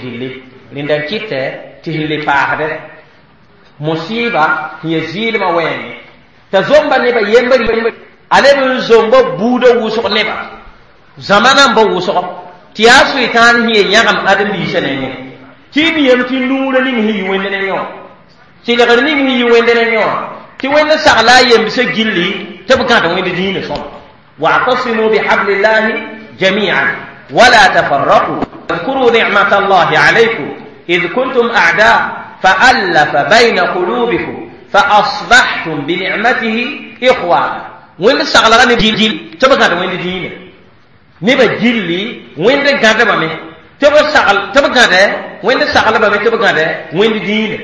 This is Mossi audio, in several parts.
Gilli rẽnda n kɩtɛ tɩ sẽn le paasdɛ musɩɩba sẽn ya zɩɩlmã wẽenge t'a zomba nebã yembr a leb n zomba buudã wʋsg nebã zãma nambã wʋsg tɩ yaa soetãan sẽn ye yãgem ãdem-biisã nengẽ tɩ y miyame tɩ nuurã ning sẽn yi wẽnd ne yõ tɩlgr ning sẽn yi wẽnd ne yõ tɩ wẽnd sagla a yembsã gilli tɩ b gãd wẽnd dĩinã sõma. واعتصموا بحبل الله جميعا ولا تفرقوا واذكروا نعمة الله عليكم إذ كنتم أعداء فألف بين قلوبكم فأصبحتم بنعمته إخوانا. وين سغلا ني جيل تبقى وين دين نبا جيلي وين غادا بامي تبا سغل تبا غادا وين سغلا بامي تبا غادا وين دين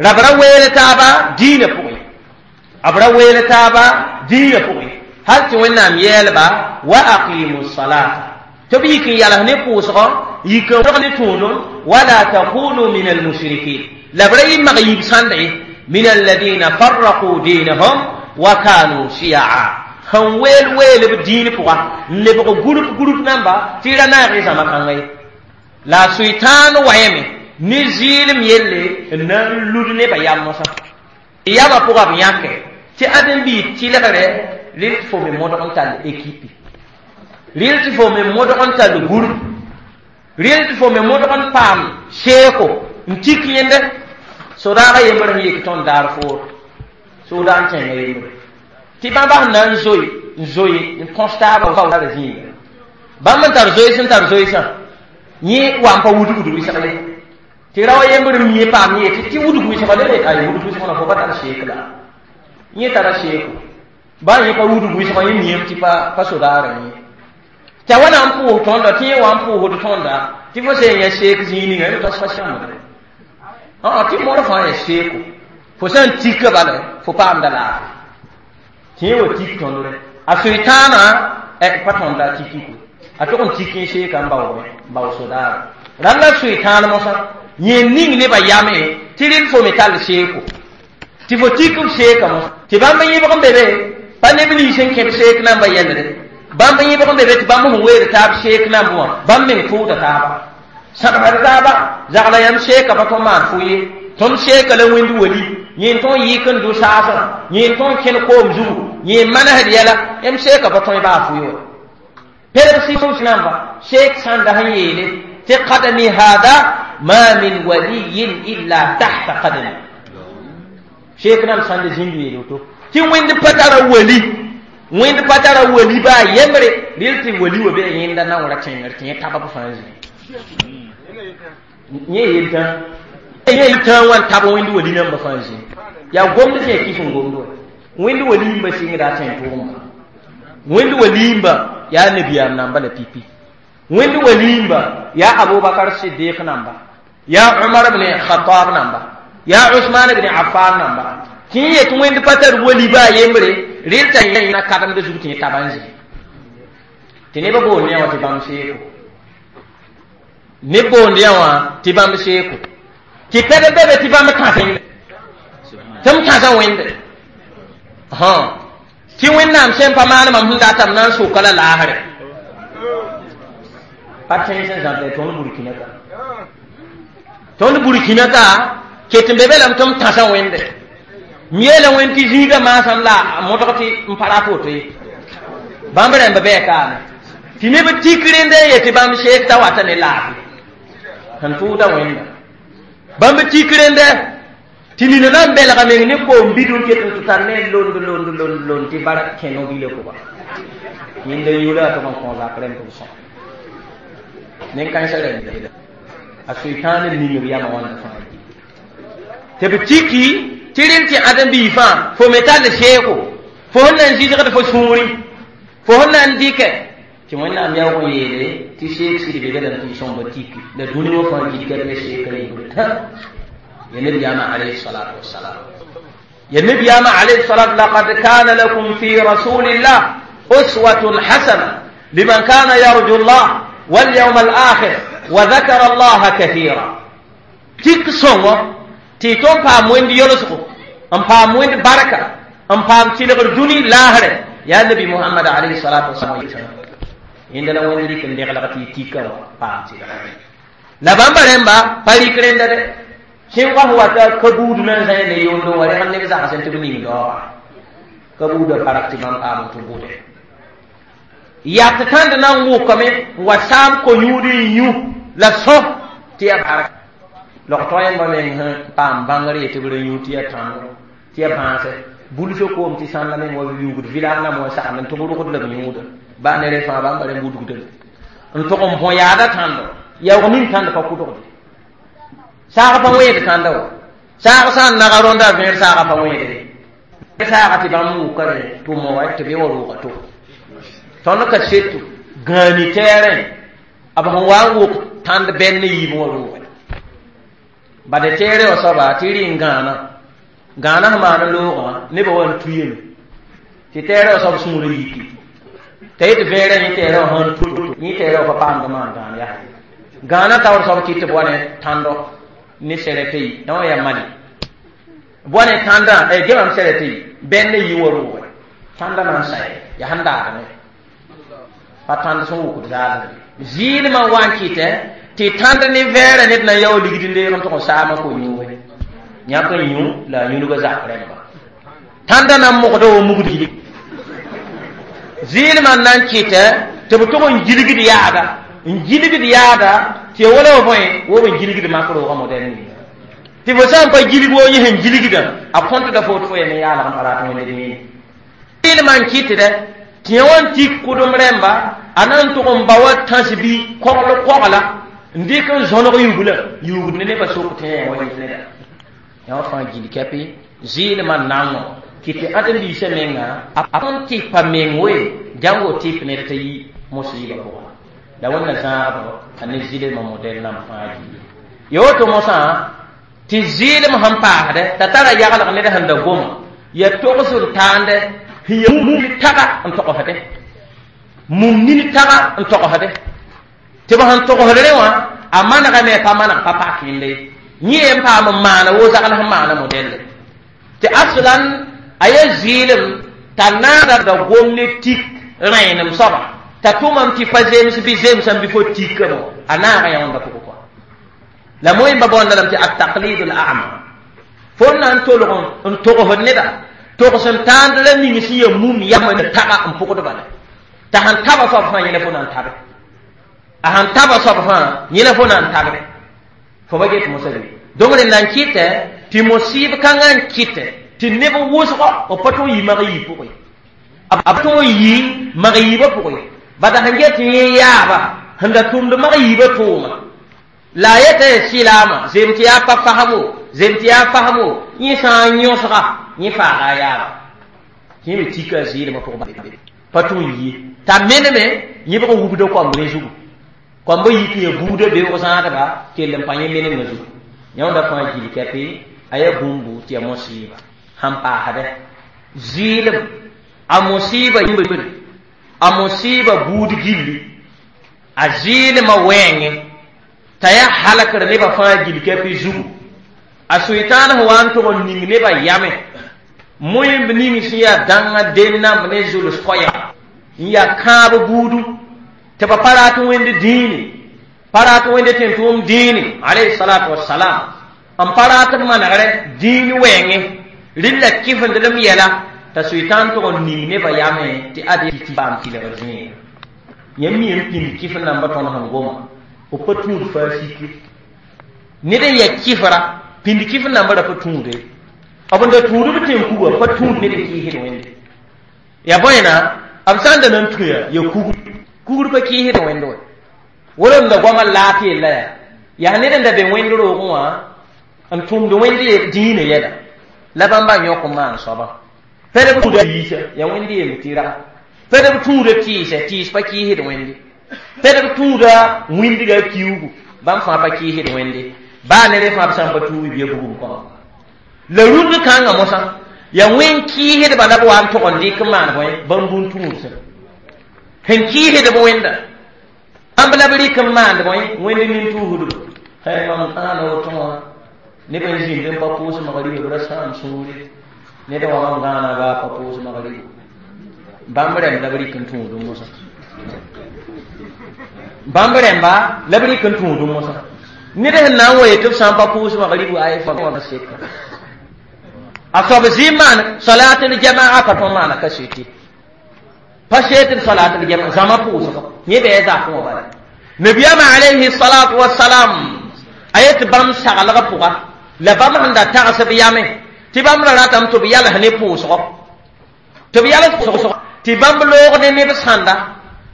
ربرا ويل تابا دين بوي أبرا ويل تابا دين بوي هل توينام يلبا وأقيموا الصلاة تبيك ياله نقوصغ يكون تونون ولا تكونوا من المشركين لبري مغيب سندعي من الذين فرقوا دينهم وكانوا شيعا. هم ويل ويل بدين بوا نبغى غروب غروب نمبا تيرا ناري زما كانغي لا سويتان ويمي نزيل ميلي نلود نبا ياموسا ياما بوا بيانك تي ادم بي تي لغره rɩl tɩ fo me modg n tall ekipe rɩl tɩ fo me modg n tall gũrb rɩl tɩ fo me modg n paam seeko n tik yẽnde sodaagã yembr sẽn yek tõnd daar foor soda n kẽnga yembre tɩ bãmba sẽn na n zoe n zoe n kõs taabã ra zĩiga bãmb n tar zoees n tar zoeesã yẽ wa n pa wudgd wɩsg ye tɩ rao yembr n mie paam yẽ tɩ wudg wɩsga le ay wudg wɩsg na fo pa tar seek la yẽ tara seeko ba yẽ pa wudg wɩsg yẽ miame tɩ pa sodaarã yẽ t'a wa na n pʋʋs tõnda tɩ yẽ wa n pʋʋsd tõnda tɩ fo sẽn yã seek zĩig ninga yẽ pa sãmbre tɩ modg fãa ya seeko fo sã n tika bala fo paamda laafɩ tɩ yẽ wa tik tõndre a soetãana pa tõnda a tikiko a tog n tik n seeka n baoome n bao sodaara rãnd la soetãan mosã yẽ ning nebã yame tɩ rɩl fo me tall seeko tɩ fo tik b seeka mosã tɩ bãmb yẽbg n be be pa neb nins n kẽb seek nambã yɛlre bãmb yẽbg n be be tɩ bãmb sẽn weed taab seek nambã wã bãmb meng tʋʋda taaba sãbsd taaba zagla yãmb seeka pa tõnd maan fo ye tõnd seeka la wẽnd wali yẽ tõn yɩk n dʋ saasã yẽ tõn kẽn koom zugu yẽ manesd yɛla yãmb seeka pa tõe baa fo ye wa perb sɩs namba seek sãnda sẽn yeele tɩ qadami hada ma min waliyin illa tahta qadami seek nam sãnda zĩnd yeele woto tɩ wẽnd pa tara wali wẽnd pa tara wali baa yembre rɩl tɩ wali wa bee yẽnda naoora kẽngr tɩ yẽ tabb fãa zĩ yẽ yeltã yẽ yeltã wã n tab wẽnd wali nambã fãa zĩ yaa gomd sẽn ya kis n gomd wa wẽnd waliimba sɩngda a tẽn tʋʋmba wẽnd waliimba yaa nabiyaam namba la pipi wẽnd waliimba yaa abubakar sidiq namba yaa umar bn khatab namba yaa usman bn affan namba tɩ yẽ yet wẽnd pa tar wali baa yembre rɩl t'a na kademda zug tɩ yẽ taba n zĩ tɩ nebã boond yã wã tɩ bãmb seeko neb boond yã wã tɩ bãmb seeko tɩ pɛd be be tɩ bãmb kãsẽ tɩ m kãsã wẽnde tɩ wẽnnaam sẽn pa maan mam sẽn datame na n soka la laasre pa tẽns n zãbda tõnd burkina ka tõnd burkina ka ket n be be lame tɩ m tãsã wẽnde m yeela wẽnd tɩ zĩigã maasam la modg tɩ n pa rat woto ye bãmb rãmba bɩ kaame tɩ neb tik rẽnd n yetɩ bãmb seek t'a wata ne laafɩ sẽn tʋʋda wẽnda bãmb tik rẽndɛ tɩ nina na n belga meng ne koom bidun ket n tɩ tar ne lond lond lond lond tɩ bara kẽno bila pʋga yẽnda yʋla a tʋg n kõ zak rẽmb b sõm nen-kãensã rẽmb a soetãan n ning b yamã wãnda fãa tɩ b tiki tɩ rẽnd tɩ ãdem-biig fãa fo me tall seeko fo sẽn na n zɩsgd fo sũurẽ fo sẽn na n dɩkɛ tɩ wẽnnaam yaoog n yeele tɩ seek sɩd be be lame tɩ sõmba tiki la dũni wã fãa gilga ne seekã yĩngr tã ya nabiyaamã alayhi salatu wassalam ya nabiyaamã alayhi salatu laqad kana lakum fi rasulillah uswatun hasana liman kana yarju llah walyawm alakhir wa dhakara allaha kathira tik sõngo tɩ tõnd paam wẽnd yolsgo n paam wẽnd barka n paam tɩlgr dũni laasrɛ yaa nabi muhammad alayhi salatu wasalam yẽnda la wẽnd rɩk n deglg tɩ y tika wã paam tɩlgr La bãmba rẽmba pa rɩk rẽnda dɛ sẽn wa wata ka buud na n zãe ne yondo wã rẽgem neb zagsẽ tɩ b ning daooga ka buudã bark tɩ bãmb paam tɩ bʋde yat tãnd na n wʋkame n wa saam ko-yũud n yũ la sõ tɩ ya bark log-tog yẽmba meng sẽn paam bãngr ye tɩ b ra yũ tɩ ya tãndo tɩ ya bãasɛ bulso koom tɩ sãnda meng wa yugd village nam wa sagend n tʋg rʋgd la b yũuda baa ne rẽ fãa bãmba rẽ budgda n tʋg n bõ yaada tãndo yaoog ning tãnd pa kʋdgde saag pa wẽed tãnda wa saag sã n naga rõnda vẽer saaga pa wẽedre saaga tɩ bãmb wʋka rẽ tʋma wa tɩ b wa rʋʋga to tõnd ka seto gãani tɛɛrẽ b sẽn wa n wʋk tãnd bɛnd ne yiib wã rʋʋge bade tɛɛrẽ wã soaba tɩ rɩ n gãana gãana sẽn maan loogã nebã wa n tuyame tɩ tɛɛrẽ wã soab sũurã yiki t'a yet vẽerã yẽ tɛɛrã wã sãn tu yẽ tɛɛrã wã pa paamd maan gãan yaa gãana taoor soab kɩt tɩ b wa ne tãndo ne sɛrɛtɩ yi yã wã yaa mali b wa ne tãndã gemam sɛrɛtɩ yi bɛnd ne yi wã rʋʋge tãndã na n saɛ yaa sẽn daadme pa tãnd sẽn wʋkd zaadre zɩɩlmã wa n kɩtɛ tɩ tãnd ne vɛɛrã ned na n yao ligd n deeg n tʋg n saamã ko-yũuge yãk n yũ la a yũnugã zak rẽmba tãndã na n mogda wa mugd gilig zɩɩlmã n na n kɩtɛ tɩ b tʋg n gilgd yaada n gilgd yaada tɩ ya wala wa bõe wo b n gilgd mak roogã modɛl ninga tɩ fo sã n pa gilg wo yẽ sẽn gilgdã a kõtda fo tɩ fo ya ne yaalg n pa rat wẽnd dĩine zɩɩlmã n kɩtdɛ tɩ yẽ wa n tik kʋdem rẽmba a na n tʋg n ba wa tãs bɩ kogl kogla n dɩk n zõneg yugla yugd ne nebã sok tɩ yẽ wa yɩs neda yã wã fãa gil kɛpɩ zɩɩlmã nango kɩ tɩ ãdem-biisã menga a tõnd tɩpa meng we dãngo tɩp ned t'a yi mosiibã pʋga la wẽnna zãagdo a ne zɩlmã modɛl nam fãa gilli ya woto mosã tɩ zɩɩlem sẽn paasdɛ t'a tara yaglg ned sẽn da goma ya togs n taande sẽn ya mum taga n togsdẽ mum nin taga n togsdẽ tɩ b sẽn togsd rẽ wã a manegame pa maneg pa pak yẽnde yẽ n paam n maana wo zagl sẽn maana modɛlle tɩ aslan a ya zɩɩlem t'a naada da gom ne tik rẽenem soaba t'a tʋmam tɩ pa zems bɩ zemsã bɩ fo tikame a naaga yãonda pʋgẽ kɔa la moẽmba bõonda lame tɩ ataqlid l ama fo n na n tolg n togsd neda togs n tãand la ning sẽn ya mum yam n taga n pʋgd bala t'a sẽn taba soab fãa yẽla fo na n tabe a sẽn taba soab fãa yẽla fo na n tabde fo ba get mosã be donc rẽnd na n kɩtɛ tɩ mosiib kãngã n kɩtɛ tɩ neb wʋsgɔ b pa tʋg yi mag yiib pʋgẽ b tʋg n yi mag yiibã pʋgẽ bada sẽn get yẽ yaaba sẽn da tʋmd mag yiibã tʋʋma la a yeta ya sɩlaamã zem tɩ yaa pa fasmo zem tɩ yaa fasmo yẽ sã n yõsga yẽ faaga a yaaba yẽ me tika a zɩɩlmã pʋgẽ pa tʋg n yi t'a meneme yẽbg n wubda koamb rẽ zugu koambã yik n ya buudã beoog zãadba kell n pa yẽ menemã zugu yãonda fãa gil kɛpɩ a yaa bũmbu tɩ ya mosiiba sẽn paasdɛ zɩɩlem a mosiiba yĩmbr a mosiiba buud gilli a zɩɩlmã wɛɛngẽ t'a yaa halkr nebã fãa gil kɛpɩ zugu a soetãan sẽn wa n tʋg n ning nebã yame moẽmb ning sẽn yaa dãngã dennãmb ne zuls koɛɛga n yaa kãab buudu tɩ ba pa rat wẽnd dĩine pa rat wẽnd tẽn-tʋʋm dĩine alayhi salatu wasalam n pa rat b manegrɛ dĩin wɛɛngẽ rɩlla kɩfendlem yɛla t'a soetãan tʋg n ning nebã yame tɩ ad tɩ paam tɩlgr zĩiga yãmb mi n pĩnd kɩf namba tõnd sẽn goma b pa tũud faa sikre ned n ya kɩfra pĩnd kɩf namba ra pa tũude b n da tũud b tẽn-kuga pa tũud ned n kɩɩsd wẽnde ya bõena b sã n da na n tũya ya kugr kugr pa kɩɩsd wẽnd wɛ wala n da goamã laat yella yaa yaa ned n da be wẽnd roogẽ wã n tʋmd wẽnd dĩinã yɛla la bãmba yõk n maan soaba pɛd b tũuda yiisa yaa wẽnd yemb tɩ raga pɛd b tũuda tɩɩsɛ tɩɩs pa kɩɩsd wẽnde pɛd b tũuda wĩndga kiugu bãmb fãa pa kɩɩsd wẽnde baa ne rẽ fãa b sã n pa tuubi bɩa bugum kõma la rũnd kãngã mosã yaa wẽn kɩɩsdba la b wa n tʋg n dɩk n maan bõe bãmb bũn-tũudsã sẽn kɩɩsdb wẽnda bãmb la b rɩk n maand bõe wẽnd nin-tuusdba mam kãana woto wã neb n zĩnd n pa pʋʋs magriba b ra sãam sũure ned wã mam gãana baa pa pʋʋs magriba bãmb rẽmb la b rɩk n tũud mosã bãmb rẽmba la b rɩk n tũud mosã Ned sẽn na n wa yetɩ b sã n pa pʋʋs magribu ay fo seka. A soab zĩ n maan salatul jamaa pa tõe n maana kaseti. Pa seetd salatul jamaa zãma pʋʋsgɔ. Yẽ bɩ a zakẽ wã bala. Nabiyaamã alayhi salatu wasalam a yet bãmb saglgã pʋga la bãmb sẽn da tags b yame tɩ bãmb ra ratame tɩ b yals ne pʋʋsgɔ. Tɩ b yals pʋʋsgɔ tɩ bãmb loog ne neb sãnda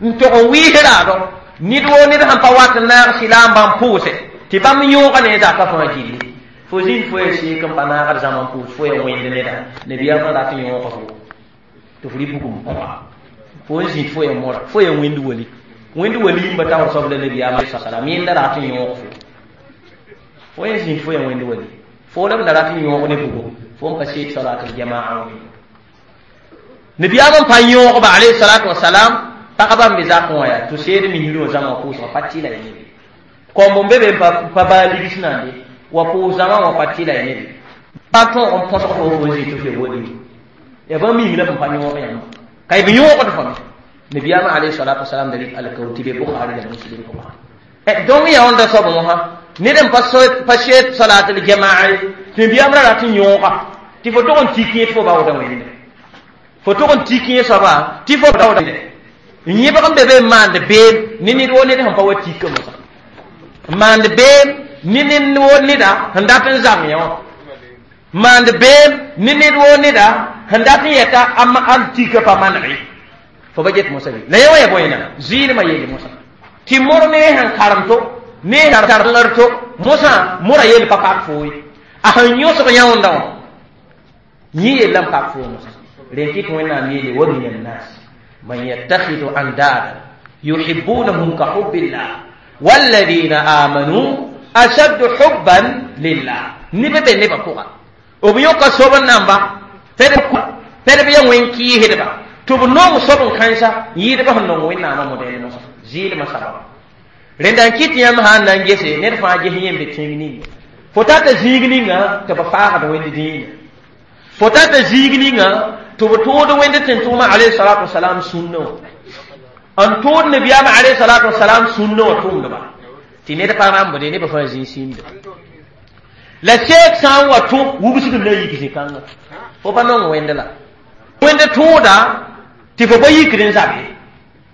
n tog n wɩɩs raado ned woo ned sẽn pa wat n naag sɩla n bãmb pʋʋse tɩ bãmb yõoga ne zakã fãa gilli. Fo zĩnd fo ya seek n pa naagd zãma n pʋʋs fo ya wẽnd neda nabiyaamã rat n yõoga fo tɩ f rɩ bugum kõba fo n zĩnd fo ya mora fo ya wẽnd wali wẽnd wali n ba taoor soab la nabiyaamã salam yẽnda rat n yõog fo fo ya zĩnd fo ya wẽnd wali fo la b da rat n yõog ne bugo fo n pa seed salatul jamaa wã nabiyaamã n pa yõogba alayhi salatu wasalam pagba n be zakẽ wã yaa tɩ seed misri wã zãma pʋʋsgã pa tɩla ya nebe kõmb n be be pa baa ligs nande wa pʋʋs zãma wã pa tɩla ya nebe pa tõog n põsg fo fo n zĩ tɩ f ya wali ya bãmb mim la b n pa yõog yãmba ka b yõogd fo me nabiyaamã alayhi salatu wasalam da rɩk alkaoor tɩ be Bukhari la Muslim pʋgã. Donc ya wãnda soab wã ned n pa seed salatul jamaa tɩ nabiyaam ra rat n yõoga tɩ fo tog n tik yẽ tɩ fo baooda wẽnde fo tog n tik yẽ soaba tɩ fo baooda n yẽbg n be be n maand beem ne ned woo ned sẽn pa wa tika mosã n maand beem ne ned woo neda sẽn dat n zang yã wã maand beem ne ned woo neda sẽn dat n yɛta a tika pa maneg fo ba get mosã be la yẽ wã ya bõe na zɩɩlmã yeele mosã tɩ mor ne sẽn karem to ne karengr to mosã mora yel pa pak fo ye a sẽn yõsg yãonda wã yẽ yella n pak fo mosã rẽn kɩt Wẽnnaam yeele wa min annas man yattakhidhu andada yuhibbunahum ka hubbillah walladina amanu ashaddu hubban lillah neb be nebã pʋga b yõka sob n namba pɛd b ya wẽn-kɩɩsdba tɩ b nong sob n kãensa yɩɩdbã sẽn nong Wẽnnaamã modɛɛl mosã zɩɩlmã sababa rẽnda n kɩt yãmb sã n na n gese ned fãa ges yẽ n be tẽng ninga fo tata zĩig ninga tɩ b faagd wẽnd dĩinã fo tata zĩig ninga tɩ b tʋʋd wẽnd tẽn-tʋʋmã alayhi salatu wasalam sũnnã wã n tʋʋd nabiyaamã alayhi salatu wasalam sũnnã wã tʋʋmdba tɩ ned pa rãmbde nebã fãa zĩig sĩnda la seek sã n wa tũ wubsg n na n yik zĩ-kãnga fo pa nong wẽnd la wẽnd tʋʋda tɩ fo pa yikd n zabe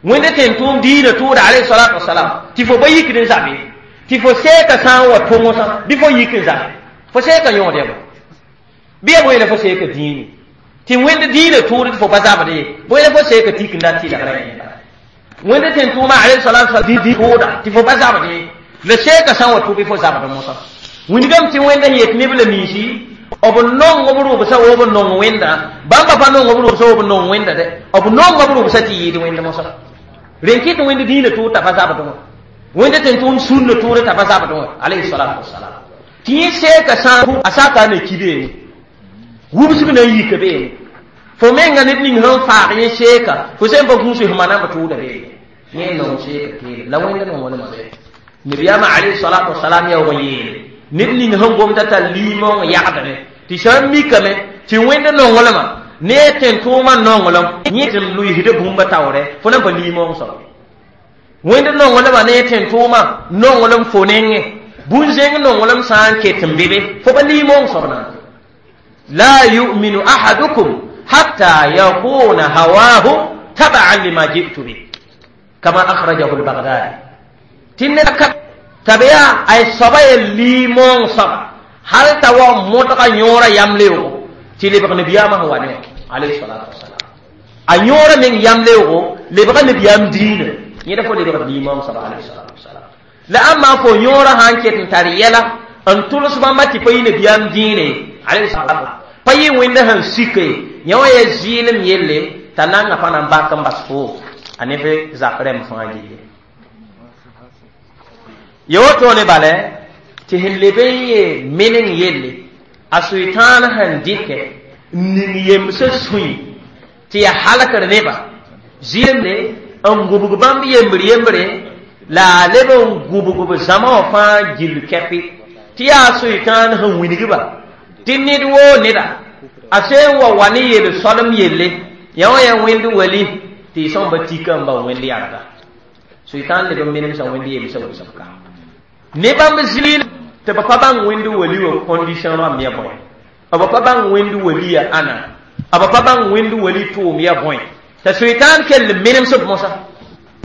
wẽnd tẽn-tʋʋm diinã tʋʋda alayhi salatu wasalam tɩ fo pa yikd n zabe tɩ fo seeka sã n wa tũ mosã bɩ fo yik n zabe fo seeka yõod yã bɩ ya bõe la fo seeka dĩini tɩ wẽnd diinã tʋʋd tɩ fo pa zabd ye bõe la fo seeka tik n dat tɩlgra yẽnda wẽnd tẽn-tʋʋmã alayhi salatu wasalam tʋʋda tɩ fo pa zabd ye la seeka sã n wa tũ bɩ fo zabd mosã wingame tɩ wẽnda sẽn yet neb la ninsi b nong b rʋbsã wo b nong wẽnda bãmba pa nong b rʋbsã wo b nong wẽnda dɛ b nonga b rʋbsã tɩ yɩɩd wẽnd mosã rẽn kɩt wẽnd dĩinã tʋʋd t'a pa zabd wã wẽnd tẽn-tʋʋm sũnnã tʋʋd t'a pa zabd wã alayhi salatu wasalam tɩ yẽ seeka sã a saka na ki beene wubsg na n yika beene fo menga ned ning sẽn faag yẽ seeka fo sẽn pa gũus f manam tʋʋda beene yẽ nong seeka keele la wẽnda nonglmã be nabiyaamã alayhi salatu wasalam yaoog n yeele ned ning sẽn gomda t'a liimong yagdme tɩ sã n mikame tɩ wẽnd nonglmã ne a tẽn-tʋʋmã nonglem yẽ tɩ lʋɩsd bũmba taoorɛ fo na n pa liimong soab wẽnd nonglmã ne a tẽn-tʋʋmã nonglem fo nengẽ bũn-zẽng nonglem sã n ket n be be fo pa liimong soab na la yuminu ahadukum hatta yakuna hawahu tabaan lima ji'tu bih kama akhrajahu al-Baghdadi tɩ ned ka t'a ay soaba ya liimong soaba hal t'a wa modga yõora yam leoogo tɩ lebg nabiyaamã sẽn wa ne alayhi salatu wasalam a yõora meng yam leoogo lebga nabiyaam diinã yẽda fo lebg liimong soaba alayhi salatu wasalam la ãmba fo yõora sã n ket n tar yɛla n tʋls bãmba tɩ pa yɩ nabiyaam dĩine alayhi salatu pa yɩ wẽnda sẽn sike yã wã ya zɩɩlem yelle t'a nanga pa na n bak n bas fo a neb zak rɛm fãa gilli ya woto ne bala tɩ sẽn leb n ye meneng yelle a Sʋɩtãan sẽn dɩkɛ n ning yemsã sũy tɩ ya halkr nebã zɩɩmde n gũbg bãmb yembr yembre la a leb n gũbg b zãma wã fãa gill kɛpɩ tɩ yaa Sʋɩtãan sẽn wilgba tɩ ned woo neda a sẽn wa wa ne yel-soalem yelle yã wã yaa wẽnd wali tɩ y sõmba tika n ba wẽnd yãrga Sʋɩtãan leb n menemsã wẽnd yemsã wʋsg ka. Ne bãmb zɩɩl tɩ b pa bãng wẽnd wali wã condition rãmb ya bõe, b pa bãng wẽnd wali ya ãna, b pa bãng wẽnd wali tʋʋm ya bõe, t'a soitaan kell n menemsb mosã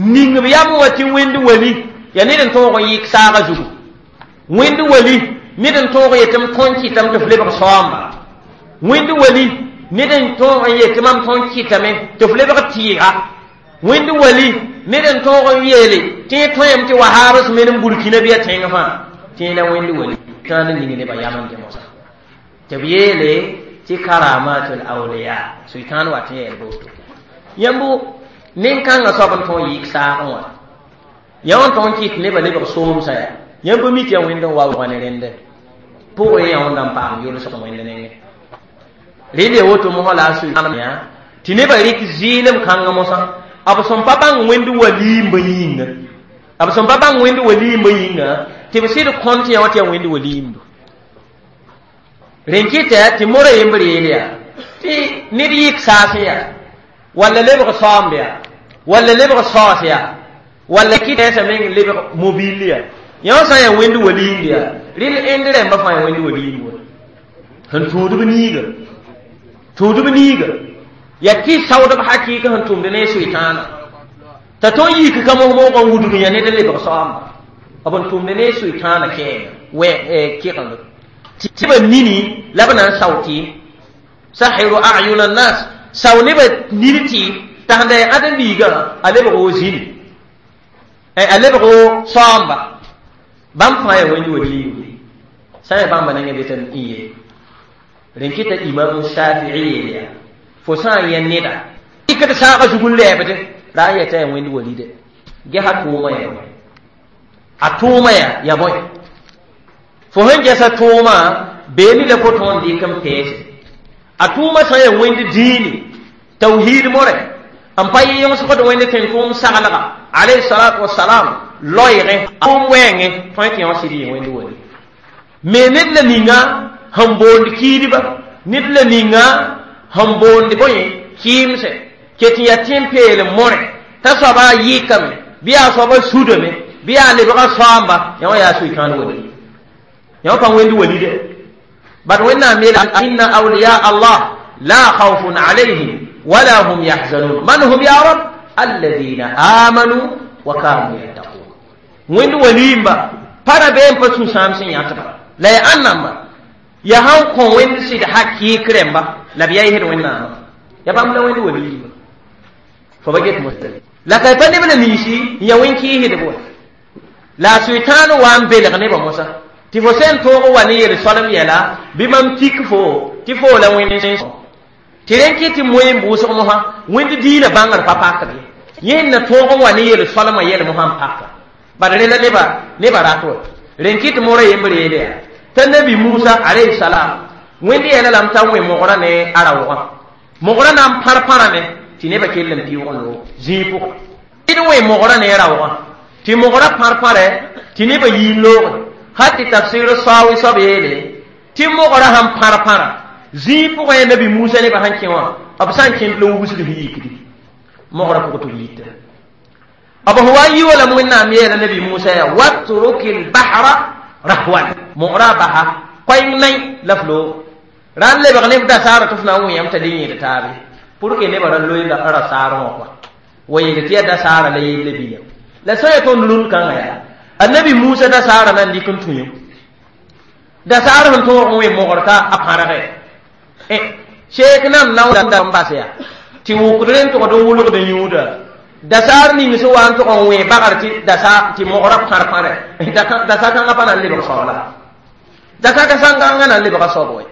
ning b yam wã tɩ wẽnd wali ya ned n tõog n yɩk saaga zugu, wẽnd wali ned n tõog yetɩ m tõn kɩtame tɩ f lebg saoamba, wẽnd wali ned n tõog n yetɩ mam tõn kɩtame tɩ f lebg tɩɩga, wẽnd wali ned n tõog n yeele tɩ y tõem tɩ wahaabs men n Burkina bɩ a tẽng fãa tɩ la wẽnd wali tãan n ning nebã yam n dẽ mosã tɩ b yeele tɩ karamatul awliya soitaan wa tɩ yɛɛl boto yãmb nin-kãngã soab n tõog yɩk saagẽ wã yã wã tõog n kɩt nebã lebg soomsã yaa yãmb mi tɩ yaa wẽnd n wa wʋga ne rẽndẽ pʋgẽ yã wẽnda n paam yʋlsg wẽnd nengẽ rẽnd ya woto mosã la a soitaan yã tɩ nebã rɩk zɩɩlem kãngã mosã b sẽn pa bãng wẽnd waliimbã yĩnga, b sẽn pa bãng wẽnd waliimbã yĩnga tɩ b sɩd kõnt yã wã tɩ yaa wẽnd waliimbu rẽn kɩta tɩ mora yembr yeel yaa tɩ ned yɩk saasẽ yaa walla lebg saoomb yaa walla lebg saoos yaa walla kɩtɛɛsã meng lebg mobil yaa yã wã sã n yaa wẽnd waliimb yaa rɩl ẽnd rẽmba fãa yaa wẽnd waliimb wa sẽn tũudb niiga, tũudb niiga yaa tɩ saoodb hakɩɩka sẽn tʋmd ne soetãana t'a tõn yik ka mos-moogã wudg yã ned n lebg saoamba b n tʋmd ne soetãana kɛɛnga wɛ kɩgengd tɩ ba nini la b na n sao tɩɩm sahiru ayuna nas sao nebã nir tɩɩm t'a sẽn da yaa ãdem-biigã a lebg wo zĩni, a lebg wo saoamba bãmb fãa yaa wẽnd waliimbe sã n yaa bãmba nengẽ be tɩ n yee rẽn kɩta Imam Shafii yeel yaa fo sã n yẽ neda dɩkd saagã zug n lɛɛbdẽ ra n yɛta yaa wẽnd walide gesa tʋʋmã yaa bõe, a tʋʋmã yaa bõe fo sẽn gɛsa tʋʋmã beene la fo tõog n dɩk n peese a tʋʋmã sã n yaa wẽnd dĩini tawhiid more n pa yɩ yõsgd wẽnd tẽn-tʋʋm saglga alayhi salatu wasalam loeegẽ tʋʋm wɛɛngẽ tõe tɩ yõ sɩd yɩ wẽnd wali me ned la ninga sẽn boond kiidba ned la ninga sẽn boond bõe kɩɩmse ket n yaa tẽn-peelem more t'a soaba yɩkame bɩ yaa soaba sudame bɩ yaa lebga soaamba yã wã yaa soetãan wali yã wã pa wẽnd wali de bad Wẽnnaam yeela inna awliya Allah la khawfun alayhim wala hum yahzanun man hum ya rab alladhina amanu wa kanu yattaqun wẽnd waliimba pa rabeem pa sũ-sãam sẽn yãtba la ya ãnnamba ya sãn kõ wẽnd sɩd hakɩɩk rẽmba la b yaa yesd Wẽnnaamã ya bãmb la wẽnd waliimba fo ba get mos la ka pa neb la ninsi n ya wẽn-kɩɩsdb wa la a soetãan wa n belg nebã mosã tɩ fo sẽn tõog wa ne yel-soalem yɛla bɩ mam tik fo tɩ fo la wẽnd tɩ rẽn kɩ tɩ moe n bʋʋsg mosã wẽnd diinã bãngr pa pakd ye yẽnd na tõog n wa ne yel-soalemã yɛl mosã n paka bad rẽ la nebã rat wa rẽn kɩ tɩ mora yembr yeele yaa t'a nabi Musa alayhi salam wẽnd yɛla lame t'a wẽ mogrã ne a raoogã mogrã na n pãr-pãrame tɩ nebã kell n pɩʋg n loog zĩig pʋgã d wẽ mogrã ne raoogã tɩ mogrã pãr-pãrɛ tɩ nebã yii n looge hal tɩ tafsir saoowɩ soab yeele tɩ mogrã sãn pãr-pãra zĩig pʋgã yaa nabi Musa nebã sãn kẽ wã b sã n kẽnd la wubsg sẽn yikdi mogrã pʋgã tɩ b yita b sẽn wa n yi wa lame Wẽnnaam yeela nabi Musa yaa watruki lbahra rahwan mogrã basa koɛng nay la f loog ra n lebg neb dasaara tɩ f na n wẽyame t'a le yẽed taabe pour que nebã ra loe ra saarẽ wã kɔa wa yeel tɩ yaa dasaara la yelle bɩ la sã n yaa tõnd rũnd kãngã yaa annabi Musa dasaara na n dɩk n tũ yẽ dasaar sẽn tõog n wẽ mogr t'a a pãrgɛ sheek nam na n bas yaa tɩ wʋkd rẽn tʋgd n wʋlgd n yũuda dasaar ning sẽn wa n tʋg n wẽ bagr tɩ dasa tɩ mogrã pãr-pãrɛ dasa kãngã pa na n lebg soabla dasa ka sã kãngã na n lebga soab wɛ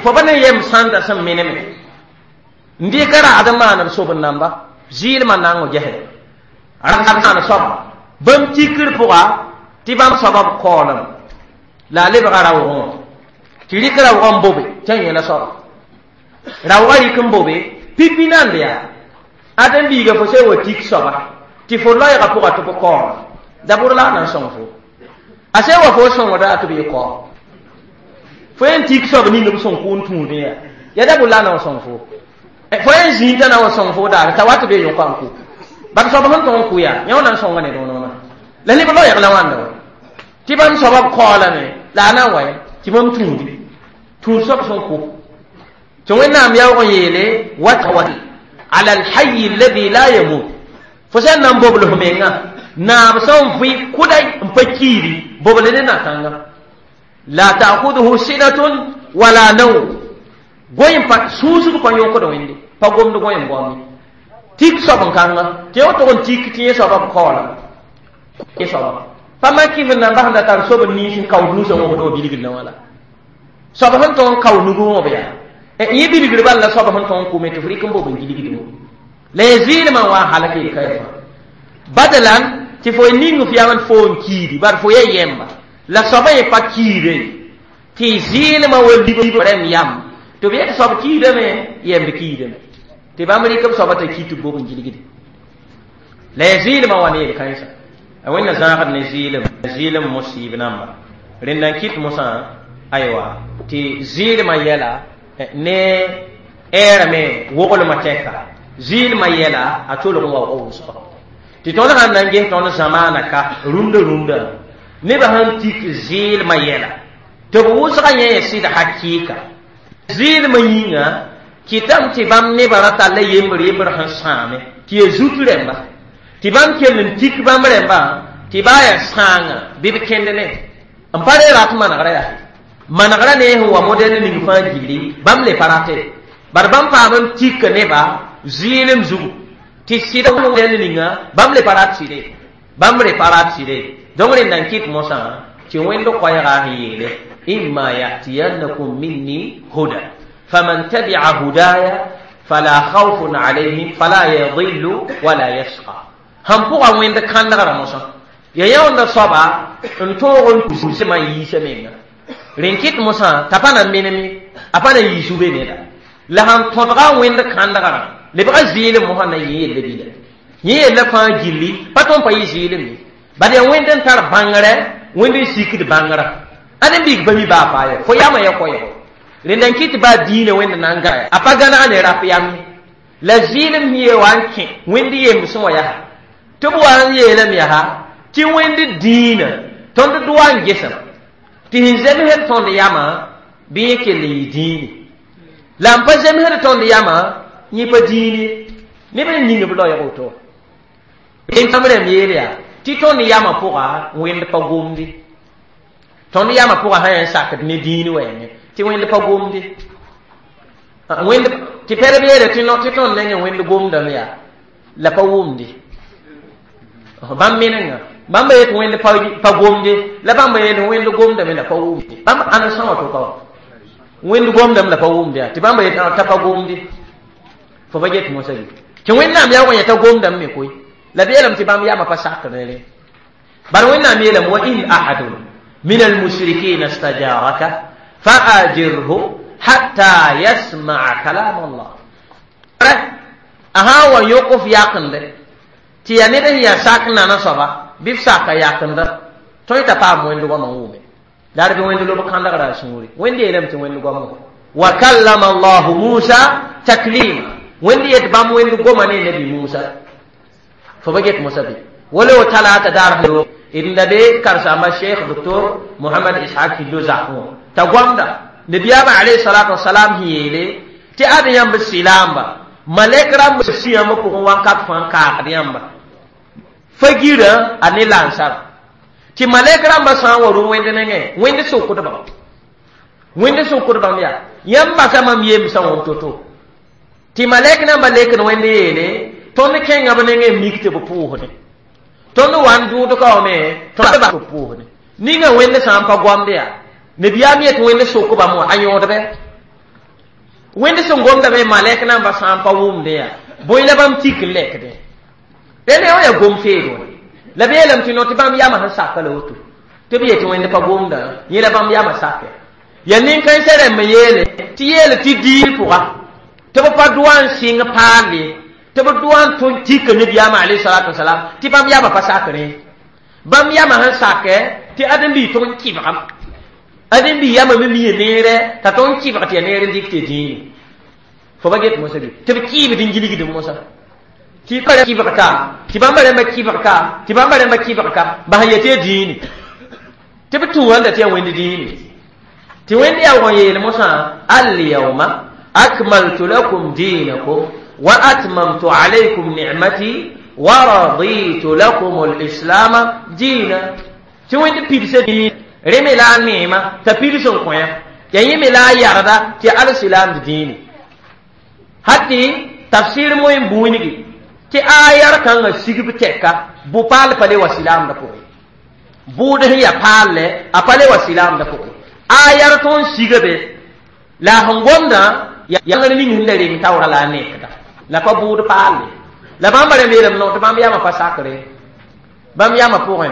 fo pa ne yem sãnda sẽn meneme n dɩka raad n maan b sob n namba zɩɩlmã nango gesde maan soaba bãmb tikr pʋga tɩ bãmb soaba b kaoolem la a lebga raoogẽ wã tɩ rɩk raoogã n bobe tɩ a yẽla soaba raoogã rɩk n bobe pipi nand yaa ãdem-biiga fo sẽn wa tik soaba tɩ fo loɛɛgã pʋga tɩ b kaoolem dabʋr la a na n sõng fo a sẽn wa fo sõngda tɩ b yɩ kaoom fo yẽn tik soab ning b sõng kʋʋn tũudẽ yaa ya dabʋr la a na n sõng fo fo yẽn zĩig t'a na wa sõng fo daare t'a wat be yõka n kʋ bad soab sẽn tõg n kʋ yaa yã wã na n sõnga ne dõonã la neb loɛɛg la wãnda wa Tɩ bãmb soabã b kaoolame la a na n wa tɩ bãmb tũudi tũud soab sẽn kʋ tɩ Wẽnnaam yaoog n yeele wata ala alhayi alladhi la yamut fo sẽn na n bobl f menga naab sẽn vɩ kʋda n pa kiidi bobl ne na-kãnga la ta'khudhuhu sinatun wala nawm goy n pa sũusg pa yõkd Wẽnde pa gomd goy n goame tik soab n kãnga tɩ yã tog n tik tɩ yẽ soabã b kaoolame yẽ soaba pa mak f na n basda tar sob n niis n kaood nusã wõbd wa bilgr wã la soab sẽn tõg n kao nug wã b yaa yẽ bilgr bal la soab sẽn tõg n kʋme tɩ f rɩk n bob n gilgd la ya zɩɩlmã wa n halk yel ka fãa badalan tɩ fo ning f yam fo n kiidi bar fo ya yɛmba la soabã yẽ pa kiide tɩ zɩɩlmã wa lib rẽmb yam tɩ b yet soab kiidame yɛmb kiidame tɩ bãmb rɩk b soabã t'a ki tɩ b bob n gilgde la ya zɩɩlmã wa ne yel-kãensã a Wẽnna zãagd ne zɩɩlem zɩɩlem mosiib namba rẽnda n kɩt mosã aywa tɩ zɩɩlmã yɛla ne ɛɛrame woglmã tɛka zɩɩlmã yɛla a tolg n wa wʋsga tɩ tõnd sãn na n ges tõnd zamaana ka rũndã rũndã nebã sẽn tik zɩɩlmã yɛla tɩ b wʋsga yẽ ya sɩd hakɩɩka zɩɩlmã yĩnga kɩtame tɩ bãmb nebã ra talla yembr yembr sẽn sãame tɩ ya zut rẽmba tɩ bãmb kell n tik bãmb rẽmbã tɩ baa yaa sãanga bɩ b kẽnd ne n pa re rat manegrã yaa manegrã ne sẽn wa modɛl ning fãa gilli bãmb le pa rate bar bãmb paam n tik neba zɩɩlem zugu tɩ sɩd modɛl ninga bãmb le pa rat sɩde bãmb re pa rat sɩde donc rẽnda n kɩt mosã tɩ Wẽnd koɛɛga sẽn yeele imma yatiyannakum minni huda faman tabi'a hudaya fala khawfun alayhim fala yadillu wala yashqa sãn pʋga Wẽnd kãndgrã mosã ya yãonda soaba n tõog n tusmã n yiisa menga rẽn kɩt mosã t'a pa na n menem a pa na n yiis be neda la sãn tõdga Wẽnd kãndgrã lebga zɩɩlem mosã na yẽ yella bila yẽ yella fãa gilli pa tõnd pa yɩ zɩɩlem ye bad yaa Wẽnd n tar bãngrɛ Wẽnd n sikd bãngrã ãd n big pa mi baa faa ye fo yamã ya koɛɛgo rẽnda n kɩt baa diinã Wẽnd na n gã a pa gãneg ne rap yam ye la zɩɩlem ye wa n kẽ Wẽnd yembsẽ wã yaa tɩ b wa n yeelame yaa tɩ Wẽnd dĩinã tõnd doa n gesem tɩ sẽn zemsd tõnd yamã bɩ yẽ kell n yɩ dĩini la n pa zemsd tõnd yamã yẽ pa dĩin ye neb n ning b loɛɛg woto rẽnd rẽmb yeel yaa tɩ tõnd yamã pʋga Wẽnd pa gomde tõnd yamã pʋga sã yaa n sakd ne dĩin wɛɛngẽ tɩ Wẽnd pa gomde Wẽnd tɩ pɛrb yeele tɩ tɩ tõnd nengẽ Wẽnd gomdame yaa la pa wʋmde bãmb menenga bãmb yet Wẽnd pa gomde la bãmb yeel Wẽnd gomdame la pa wʋmde bãmb ãn sã wã to ka wa Wẽnd gomdame la pa wʋmde yaa tɩ bãmb yet t'a pa gomde fo pa get mosã bɩ tɩ Wẽnnaam yaoog n yeta gomdame me koe la b yeelame tɩ bãmb yamã pa sakr ne rẽ bar Wẽnnaam yeelame wa in ahadun min almushrikina stajaraka faajirhu hatta yasmaa kalam Allah a sã n wa yõk f yakende tɩ yaa ned sẽn yaa sak nana soaba bɩ f saka yakenda tõe t'a paam Wẽnd goamã n wʋme la d bɩ Wẽnd lob kãndgrã a sũuri Wẽnd yeelame tɩ Wẽnd goam wa kallama Allahu Musa taklima Wẽnd yet bãmb Wẽnd goma ne nabi Musa fo pa get mosã bɩ wala wa talata daar d da be karsamba Cheikh Docteur Mohamad Ishaq Hillo zakẽ wã t'a goamda nabiyaamã alayhi salatu wasalam sẽn yeele tɩ ad yãmb sɩlaamba malɛk rãmb sĩ yãmb pʋgẽ wãnkat fãa n kaagd yãmba fa girã a ne lansara tɩ malɛk rãmbã sã n wa rũ Wẽnd nengẽ Wẽnd sokdbã Wẽnd sokdbãmb yaa yãmb basa mam yemsã wã to-to tɩ malɛk nambã lekd Wẽnd yeele tõnd kẽnga b nengẽ mik tɩ b pʋʋsdẽ tõnd wa n dʋʋd ka wame tõnd b pʋʋsdẽ ninga Wẽnd sã n pa goamd yaa nabiyaam yet Wẽnd sok bãmb wã a yõodbɛ Wẽnd sẽn gomdame malɛk nambã sã n pa wʋmdẽ yaa bõe la bãmb tik n lɛkdẽ rẽnd wã yaa gom feed wã la b yeelame tɩ no tɩ bãmb yamã sẽn saka la woto tɩ b yetɩ Wẽnd pa gomdã yẽ la bãmb yamã sake ya nin-kãensã rãmb yeele tɩ yeel tɩ diir pʋga tɩ b pa doa n sɩng paal ye tɩ b doa n tõn tika nabiyaamã alayhi salatu wasalam tɩ bãmb yamã pa sakrẽ bãmb yamã sẽn sakɛ tɩ ãdem-biig tʋg n kɩbgam ãdem-biig yamã me mia neerɛ t'a tõnd kɩbg tɩ yaa neer n dɩk tɩ dĩini fo pa get mosã bɩ tɩ b kɩɩbd n gilgd mosã tɩ kɩbg ka tɩ bãmba rãmbã kɩbg ka tɩ bãmba rãmbã kɩbg ka bas n yetɩ ya dĩini Tɩ b tũ wãnda tɩ yaa wẽnd dĩini tɩ wẽnd yaoog n yeel mosã alyawma akmaltu lakum dinakum wa atmamtu alaykum ni'mati wa raditu lakum alislama dina. Tɩ wẽnd pidsa dĩin rẽ me la a neema t'a pids n kõ ya ya yẽ me la a yarda tɩ alsilam dĩini hat tɩ tafsir moẽ buingi tɩ ayar kãngã sigb tɛka bʋ-paal pa le wa silaamdã pʋgẽ bʋʋd sẽn yaa paalle a pa le wa silaamdã pʋgẽ ayar tõnd siga be la a sẽn gomdã yaa ning sẽn da reng taoora la a nekda la pa bʋʋd paalle la bãmba rãmb yeelame no tɩ bãmb yaama pa sakre bãmb yaama pʋgẽ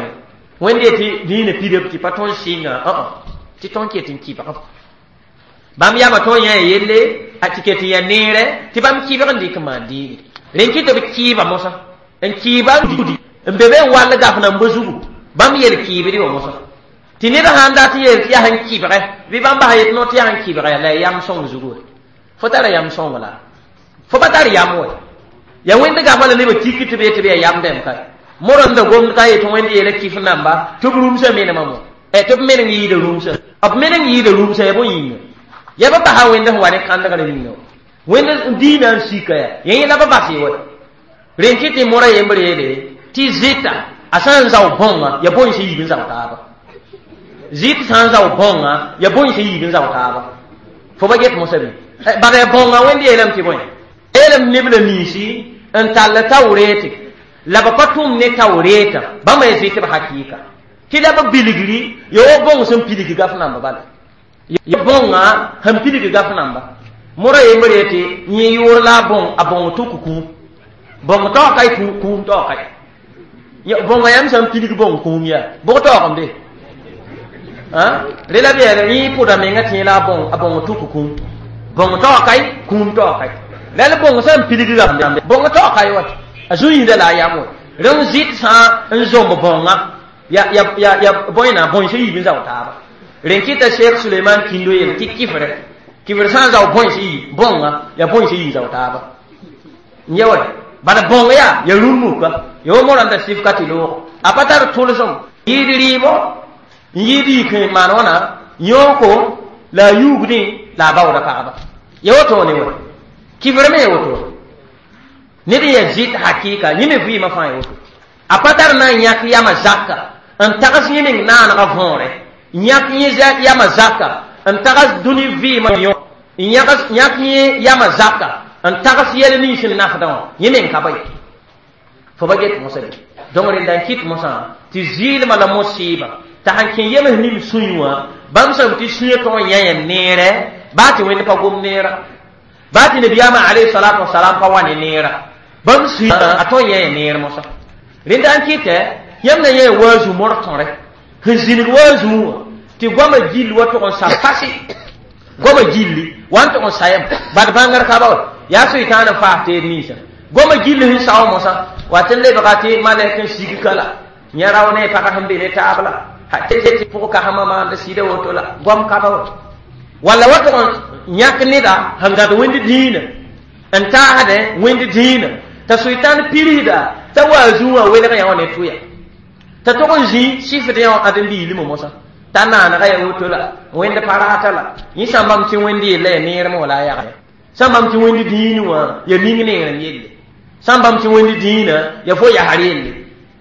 wẽnd yetɩ dĩinã pidb tɩ pa tõnd sɩnga tɩ tõnd ket n kɩbg bãmb yaama tõnd yã yelle a tɩ ket n yaa neerɛ tɩ bãmb kɩbg n dɩk n maan dĩini rẽn kɩ tɩ b kɩɩba mosã n kɩɩba n be be n wall gaf namba zugu bãmb yel kɩɩbd wã mosã tɩ ned sãn dat n yeel tɩ yaa sẽn kɩbgɛ bɩ bãmb basa yet no tɩ yaa sẽn kɩbgɛ la ya yam sõng zugu fo tara yam sõng la fo pa tar yam wɛ ya wẽnd gafa la nebã tik tɩ b yetɩ b yaa yam dɛm ka morã n da gomd ka yetɩ wẽnd yeela kɩf namba tɩ b rũmsã menemã mo tɩ b meneng yɩɩda rũmsã b meneng yɩɩda rũmsã ya bõe yĩnga ya ba basa wẽnd sẽn wa ne kãndgrã yĩnga wẽnd dĩinã n sika ya yẽ la ba bas ye wa rẽn kɩ tɩ mora yembr yeele tɩ zɩta a sã n zao bõnga ya bõe sẽn yiib n zao taaba zɩt sã n zao bõnga ya bõe sẽn yiib n zao taaba fo ba get mosã bɩ bala ya bõnga wẽnd yeelame tɩ bõe yeelame neb la ninsi n tall tawreete la ba pa tʋm ne tawreeta bãmba ya zɩtb hakɩɩka tɩ la b bilgri ya wa bõng sẽn pilg gaf namba bala ya bõnga sẽn pilg gaf namba mora yembr yetɩ yẽ yʋʋr la a bõng a bõng tʋk kũum bõng taoog ka kũum taoog ka bõnga yãmb sã n pilg bõng kũum yaa bʋg taoogem de rẽ la b yeele yẽ pʋda menga tẽ la a bõng tʋk kũum bõng taoog ka kũum taoog ka la la bõng sã n pilg gaf bõng taoog ka wat a zu-yĩnda la a yam wa rẽn zɩt sã n zomb bõnga ya bõe na bõe sẽn yiib n zao taaba rẽn kɩta Sheikh Suleiman Kindo yeel tɩ kɩfrɛ kɩfr sã n zao bõe sẽn yi bõnga ya bõe sẽn yi zao taaba n ya wa bala bõng yaa ya rũm-muka ya wa morã da sɩf ka tɩ loog a pa tar tʋlsem yɩɩd rɩɩbɔ n yɩɩd yik n maan wãna yõoko la a yuugdẽ la a baooda pagba ya woto ne wa kɩfr me ya woto ned n yaa zɩt hakɩɩka yẽ me vɩɩmã fãa ya woto a pa tar na n yãk yama zaka n tags yẽ meng naanega võore yãk yẽ yama zaka n tags dũni vɩɩmã yõ n yãk yẽ yama zaka n tags yɛl nins n nafdã wã yẽ meng ka ba ye fo ba get mosã bɩ donc rẽnda n kɩt mosã tɩ zɩɩlmã la mosɩɩbã t'a sãn kẽ yems nim sũy wã bãmb sẽm tɩ sũyã tog n yã yã neerɛ baa tɩ wẽnd pa gom neera baa tɩ nabiyaamã alayhi salatu wasalam pa wa ne neera bãmb sũy a tog n yã yã neer mosã rẽnda n kɩtɛ yãmb na yã waazu mor tõre sẽn zĩnig waazu wã tɩ goamã gill wa tog n sa pase goamã gilli wa n tog n sayame bad bãngr ka ba wa yaa soɩtãan n faas teed ninsã goamã gill sẽn sao mosã wa tɩ lebga tɩ malɛk n sig ka la yã rao ne pag sẽn be ne taab la tɩ pʋg kasmã maand sɩda woto la goam ka ba wa walla wa tog n yãk neda sẽn gãd wẽnd dĩinã n taasdẽ wẽnd dĩinã t'a soɩtãn pirsda t'a waazu wã welg yã wã ne tʋya t'a tog n zĩ sɩfd yã wã ãdem-biilimã mosã t'a naanega ya woto la wẽnd pa rata la yẽ sã n bãmb tɩ wẽnd yella ya neerem wala a yagre sã n bãmb tɩ wẽnd dĩin wã ya ning neerem yelle sã n bãmb tɩ wẽnd dĩinã ya fo yasr yelle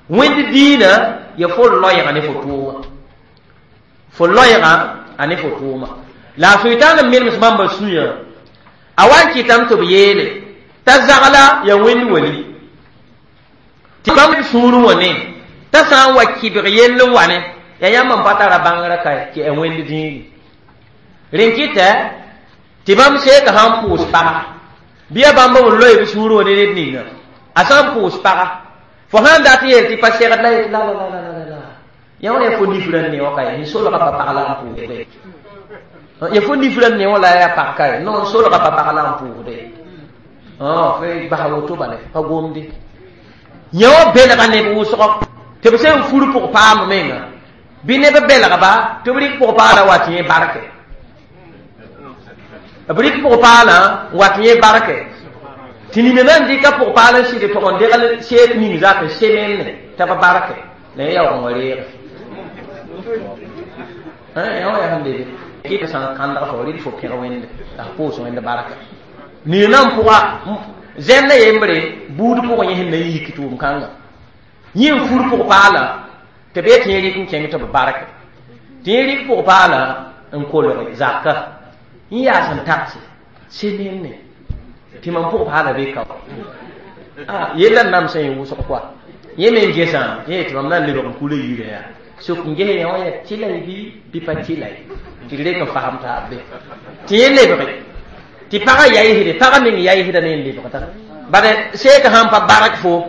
wẽnd dĩinã ya fo loɛɛga ne fo tʋʋma fo loɛɛga a ne fo tʋʋma la a soɩtãan n menems bãmba sũyã a wa n kɩtame tɩ b yeele t'a zagla ya wẽnd wali tɩ bãmb sũurẽ wã ne t'a sã n wa kɩbg yell n wa ne ya yãmb n pa tara bãngrã ka tɩ a wẽnd dĩiri rẽn kɩtɛ tɩ bãmb seeka sã n pʋʋs paga bɩ ya bãmb b loe b sũurẽ wã ne ned ninga a sã n pʋʋs paga fo sãn dat yeel tɩ pa segd la yetɩ la la la la la la yã wã ya fo nifrã ne wã ka ye solga pa pag la n pʋʋsde ya fo nifrã ne wã la ya pag ka ye non solga pa pag la n pʋʋsde fo basa woto bale pa gomde yã wã belga neb wʋsgɔ tɩ b sẽn fur pʋg paam menga bɩ neb belgba tɩ b rɩk pʋg paala wa tɩ yẽ barke b rɩk pʋg paalã n wa tɩ yẽ barke tɩ nina na n dɩka pʋg paal n sɩd tʋg n degl seek ning zak n semenne t'a b barke la yẽ yaoog n wa reege Ya sẽn lebe kɩ sã n kãndg fo rɩd fo pẽg wẽnde la f pʋʋs wẽnd barka nina n pʋga zẽnda yembre buud pʋgẽ yẽ sẽn na n yik tʋʋm kãnga yẽ n fur pʋg paala tɩ b tɩ yẽ rɩk n kẽng tɩ b barke tɩ yẽ rɩk pʋg paala n kolge zaka n yaas n tagse semenne tɩ mam pʋg paala be ka yella n namsã yẽ wʋsg koa yẽ me n gesã yẽ tɩ mam na n lebg n kula yirã yaa sok n ges yã wã yaa tɩlay bɩ pa tɩlay tɩ d reng n fasem taab be tɩ yẽ lebge tɩ pagã yaɩsde pagã meng yaɩsda ne n lebgda bala seek sãn pa bark fo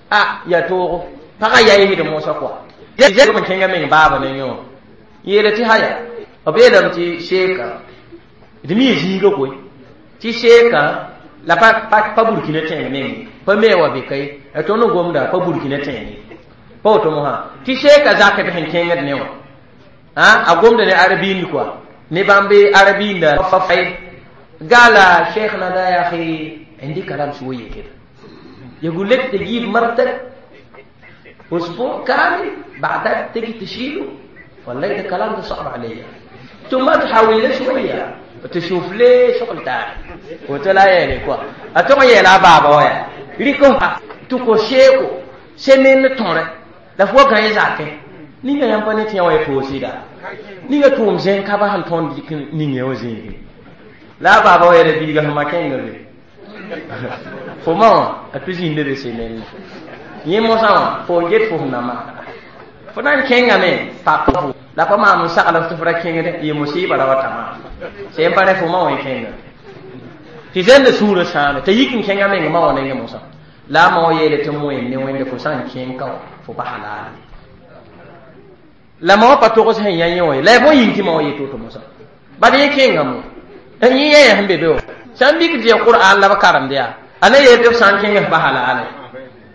a yaa toogo pagã yaɩsd mosã koa n kẽngã meng baaba nengẽ wã yeela tɩ haya b yeelame tɩ seeka d mi zĩiga koe tɩ seeka la pa burkina tẽeng meng pa me wa be kai a tõnd gomda pa burkina tẽeng pa woto mosã tɩ seeka zakd sẽn kẽngd ne wã a gomda ne arabind koa ne bãmb arabinda fa fay قال شيخنا ده يا اخي عندي كلام شويه كده يقول لك تجيب مرتك اسبوع كامل بعدها تيجي تشيله والله ده كلام ده صعب عليا ثم تحاول لي شويه تشوف لي شغل تاني قلت لا يعني كوا اتوما يلا بابا ويا ريكو تكو شيكو سمين توري la fo gã zakẽ ninga yãmb pa ne tɩ yã wa y poosida ninga tʋʋm zẽn ka ba sẽn tõnd dɩk ning yã wã zĩigi la a baaba wa yɛla biiga sẽn ma kẽnga be fo ma wã a tɩ zĩnda be semenne yẽ mosã wã fo n get fo sẽn na maana fo na n kẽngame pak fo la pa maam n sagl tɩ f ra kẽngd yɩ musɩɩba ra wa ta maam sẽn pa rẽ fo ma wã y kẽnga tɩ zẽnda sũurã sãame t'a yik n kẽngã meng ma wã nengẽ mosã la a ma wã yeele tɩ moen ne wẽnde fo sã n kẽng ka wã fo pa halal la ma wã pa togs sẽn yã yẽ wã ye la ya bõe yĩng tɩ ma wã yet woto mosã bad yẽ kẽngame yẽ yã sẽn be be wã sã n mik tɩ ya qur'an la b karemd yaa a na yeel tɩ f sã n kẽng f pa halale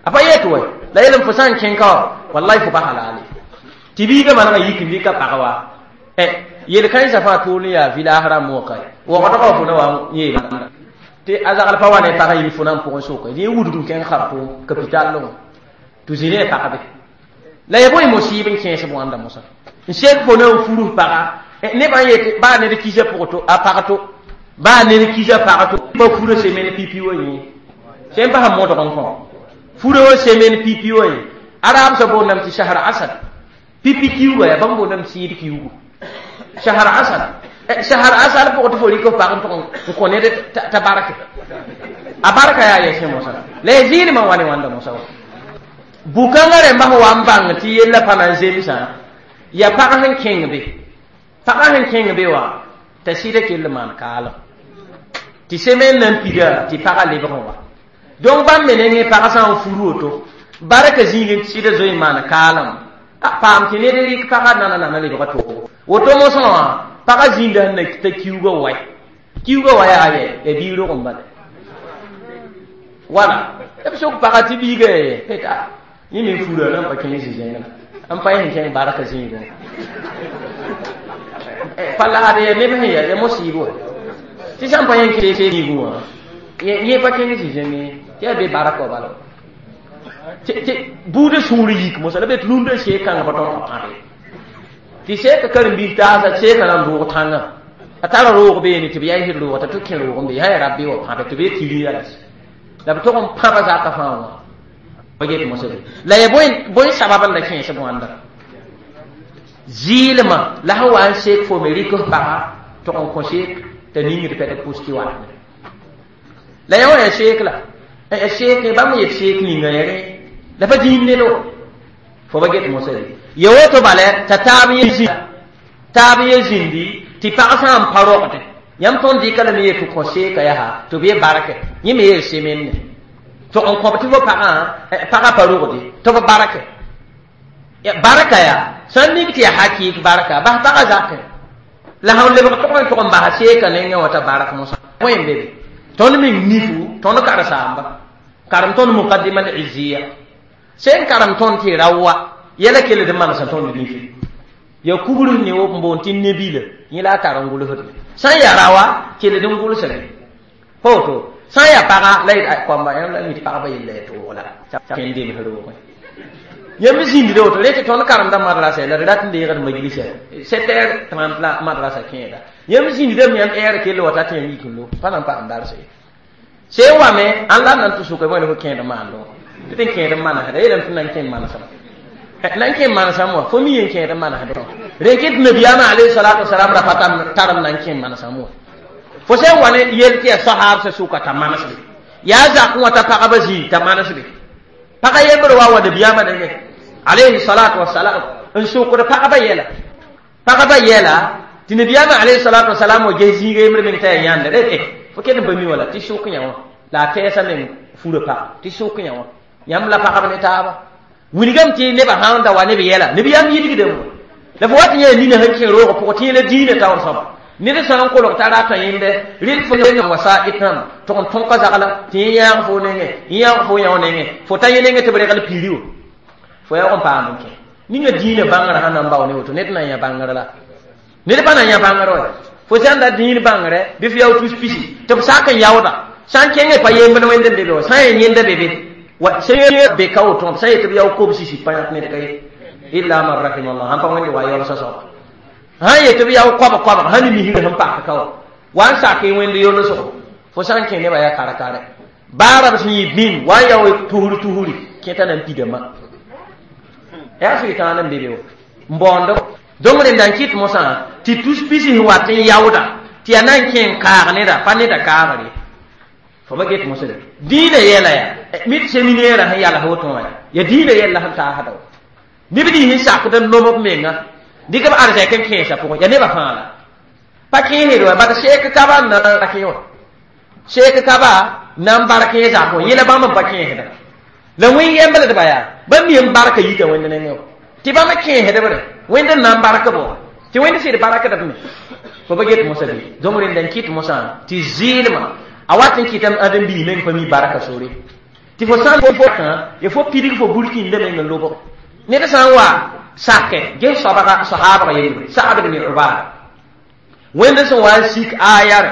a pa yet wa la yeelame fo sã n kẽng ka wã wallahi fo pa halale tɩ biigã manegã yik n dɩka pag wa yel-kãensã fãa tʋʋl n yaa village rãmb wã ka wagdgã fo na wa n yeela tɩ a zagl pa wa ne pagã yĩng fo na n pʋgẽ soka yẽ wudg n kẽng Khartoum capital wã tɩ zĩ ne pagbe la ya bõe mosiib n kẽes wãnda mosã n sek fo na n furus paga nebã n yetɩ baa ned kisa pʋg to a pag to baa ned kisa pag to pa fura semaine pipi wa yẽ sẽn pa sẽn modg n kõ fura wa semaine pipi wa yẽ arab sã boondame tɩ shahar asad pipi kiuga yaa bãmb boondame sɩɩd kiugu shahar asal shahar asal pʋgẽ tɩ fo rɩk f pag n tʋg n kõ ned t'a barke a barka yaa yɛsẽ mosã la ya zɩɩlmã wa ne wãnda mosã wa bukãngã rẽmba sẽn wa n bãng tɩ yella pa na n zemsã yaa pag sẽn kẽng be pagã sẽn kẽng be wã t'a sɩda kell maan kaalem tɩ semaine na n pida tɩ pagã lebg n wa donc bãmb me nengẽ pagã sã n fur woto barka zĩig n sɩda zoe n maan kaalem a paam tɩ ned rɩk pagã nana nana lebga toogo woto mosã wã pagã zĩnda sẽn na t'a kiuugã wae kiuugã wa yaa yɛ ya biig rog n bala wala b sok pagã tɩ biiga ya yɛ yẽ me fura la n pa kẽng zĩ-zẽngã n pa yẽ kẽng barka zĩigẽ pa laad ya neb sẽn ya mosiib wa tɩ sã n pa yẽ kẽ zĩigẽ wã yẽ pa kẽng zĩ-zẽngẽ tɩ yaa be barka wa bala tɩ buudã sũur yik mosã la be tɩ rũndã seek kãngã pa tõnd pa pãbe tɩ seeka karen-biis taasa seeka na n roog tãngã a tara roog beene tɩ b yaɩsd roog t'a tɩ kẽ roog n be sã ya rabbe wa pãbe tɩ b tɩ rĩyã la b tog n pãba zaka fãa wã pa get mosã be la ya bõe sabab n la kẽesb wãnda zɩɩlmã la sẽn wa n seek fo me rɩk f paga tog n kõ seek t'a ningd pɛd pʋs tɩ watne la yã wã ya seek la ya seek bãmb yet seek ninga ya rẽ la pa dĩin ned wa fo ba get mosã be ya woto bala t'a taab yẽ zĩndi tɩ pag sã n pa rogde yãmb tõnd dɩka lame yet tɩ kõ seeka yaa tɩ b ye barke yẽ me yeel semenne tɩ n kõb tɩ fo pagã pagã pa rogde tɩ b barke barka yaa sã n mik tɩ yaa hakɩɩk barka bas pagã zakẽ la sãn lebg tʋg n tʋg n basa seeka nengẽ wã t'a bark mosã bõe n be be tõnd meng nifu tõnd karsaamba karem tõnd muqaddima al izziya sẽn karem tõnd tɩ ra wa yɛla kell d manesã tõnd nifu ya kubr ne wo n boond tɩ nebila yẽ la a tar n gʋlsd sã n yaa rawa kell d n gʋlsame pa woto sã n yaa paga la kõamba yãmb la mi tɩ pagba yella ya toog la kẽn dems roogẽ Yãmb zĩndda woto rẽ tɩ tõnd karemda madrasa la d rat n deegd majlisa 7h30 la madrasa kẽeda. Yãmb zĩndame yãmb ɛɛr kell wa ta tɩ yãmb yik n lo pa na n paam darse. Sẽn wame ãn la n na n tɩ sʋka bõe la fo kẽed n maando tɩ tɩ n kẽed n manesda yeelame tɩ na n kẽ n manesma na n kẽ n manesam wã fo mi yen kẽed n manesd rẽ kɩ tɩ nabiyaamã alayhi salatu wasalam ra pa tarem na n kẽ n manesam wã fo sẽn wa ne yel tɩ yaa sahaabsã sʋka t'a manesbe yaa zakẽ wã t'a pagba zĩig t'a manesbe pagã yembr wa wa nabiyaamã nengẽ alayhi salatu wasalam n sʋkd pagba yɛla pagba yɛla tɩ nabiyaamã alayhi salatu wasalam wa ges zĩiga yembr meng t'a yaa yãnda rẽ fo ket n pa mi wã la tɩ sʋk yã wã la a tɛɛsã meng furã pag tɩ sʋk yã wã yãmb la pagb ne taaba wilgame tɩ nebã sã n da wa neb yɛla nabiyaam yilgdame la fo wat yã nina sẽn kẽ roogã pʋgẽ tɩ yẽla diinã taoor sõma ned sã n kolg t'a rata yẽnde rɩl fo wasaa'id rãmba tʋg n tõka zagla tɩ yẽ yãag fo nengẽ yãag fo yão nengẽ fo ta yẽ nengẽ tɩ b regl piiri wã fo yaoog n paam n kẽ ninga diinã bãngrã sã na n bao ne woto ned na n yã bãngr la ned pa na n yã bãngr wa fo sã n da dĩin bãngrɛ bɩ fo yao tus pisi tɩ b sak n yaooda sã n kẽngẽ pa yembd wẽnd n be be wa sã n yaa yẽnda be be wa sẽn be ka woto b sã n yet b yao kobs sisi pa yãk ned ka ye illa man rahima allah sãn pa wẽnde wa yaolsã soaba sã n yet b yao koabg koabg sã ne misrã sẽn pak ka wa wa n sak y wẽnd yolsgo fo sã n kẽ nebã yaa kare-kare baara b sẽn yɩ bĩm wa n yao tusr tusri kẽta na n pidama yaa sʋɩtãan n be be wa n baoond donc rẽnda n kɩt mosã tɩ tus pisi sẽn wat n yaooda tɩ yaa na n kẽ n kaag neda pa neda kaagre fo ba get mosã dĩinã yɛla yaa mit séminaire sẽn yals woto wã yaa dĩinã yɛlla sẽn taasda wa neb nins sẽn sakd n nom b menga dɩk b arzɛk n kẽesã pʋgẽ yaa nebã fãa la pa kẽesd wa bad seek kaba n na kẽ wã seek kaba na n bar kẽ zak wã yẽla bãmb n pa kẽesda la wẽn yembldba yaa bãmb mi n barka yita wẽnd nengẽ wã tɩ bãmb kẽesdb re wẽnd n na n bark b wã tɩ wẽnd sɩd barakdb me fo ba get mosã bɩ donc rẽnda n kɩt mosã tɩ zɩɩlmã a wat n kɩtame ãdem-biis meng pa mi barka sore tɩ fo sã n fo ya fo pidig fo burkĩndã meng n lobg ned sã n wa sakɛ ges soabga sahaabga yembre Sa'd ibn Ubada wẽnd sẽn wa n sik aya re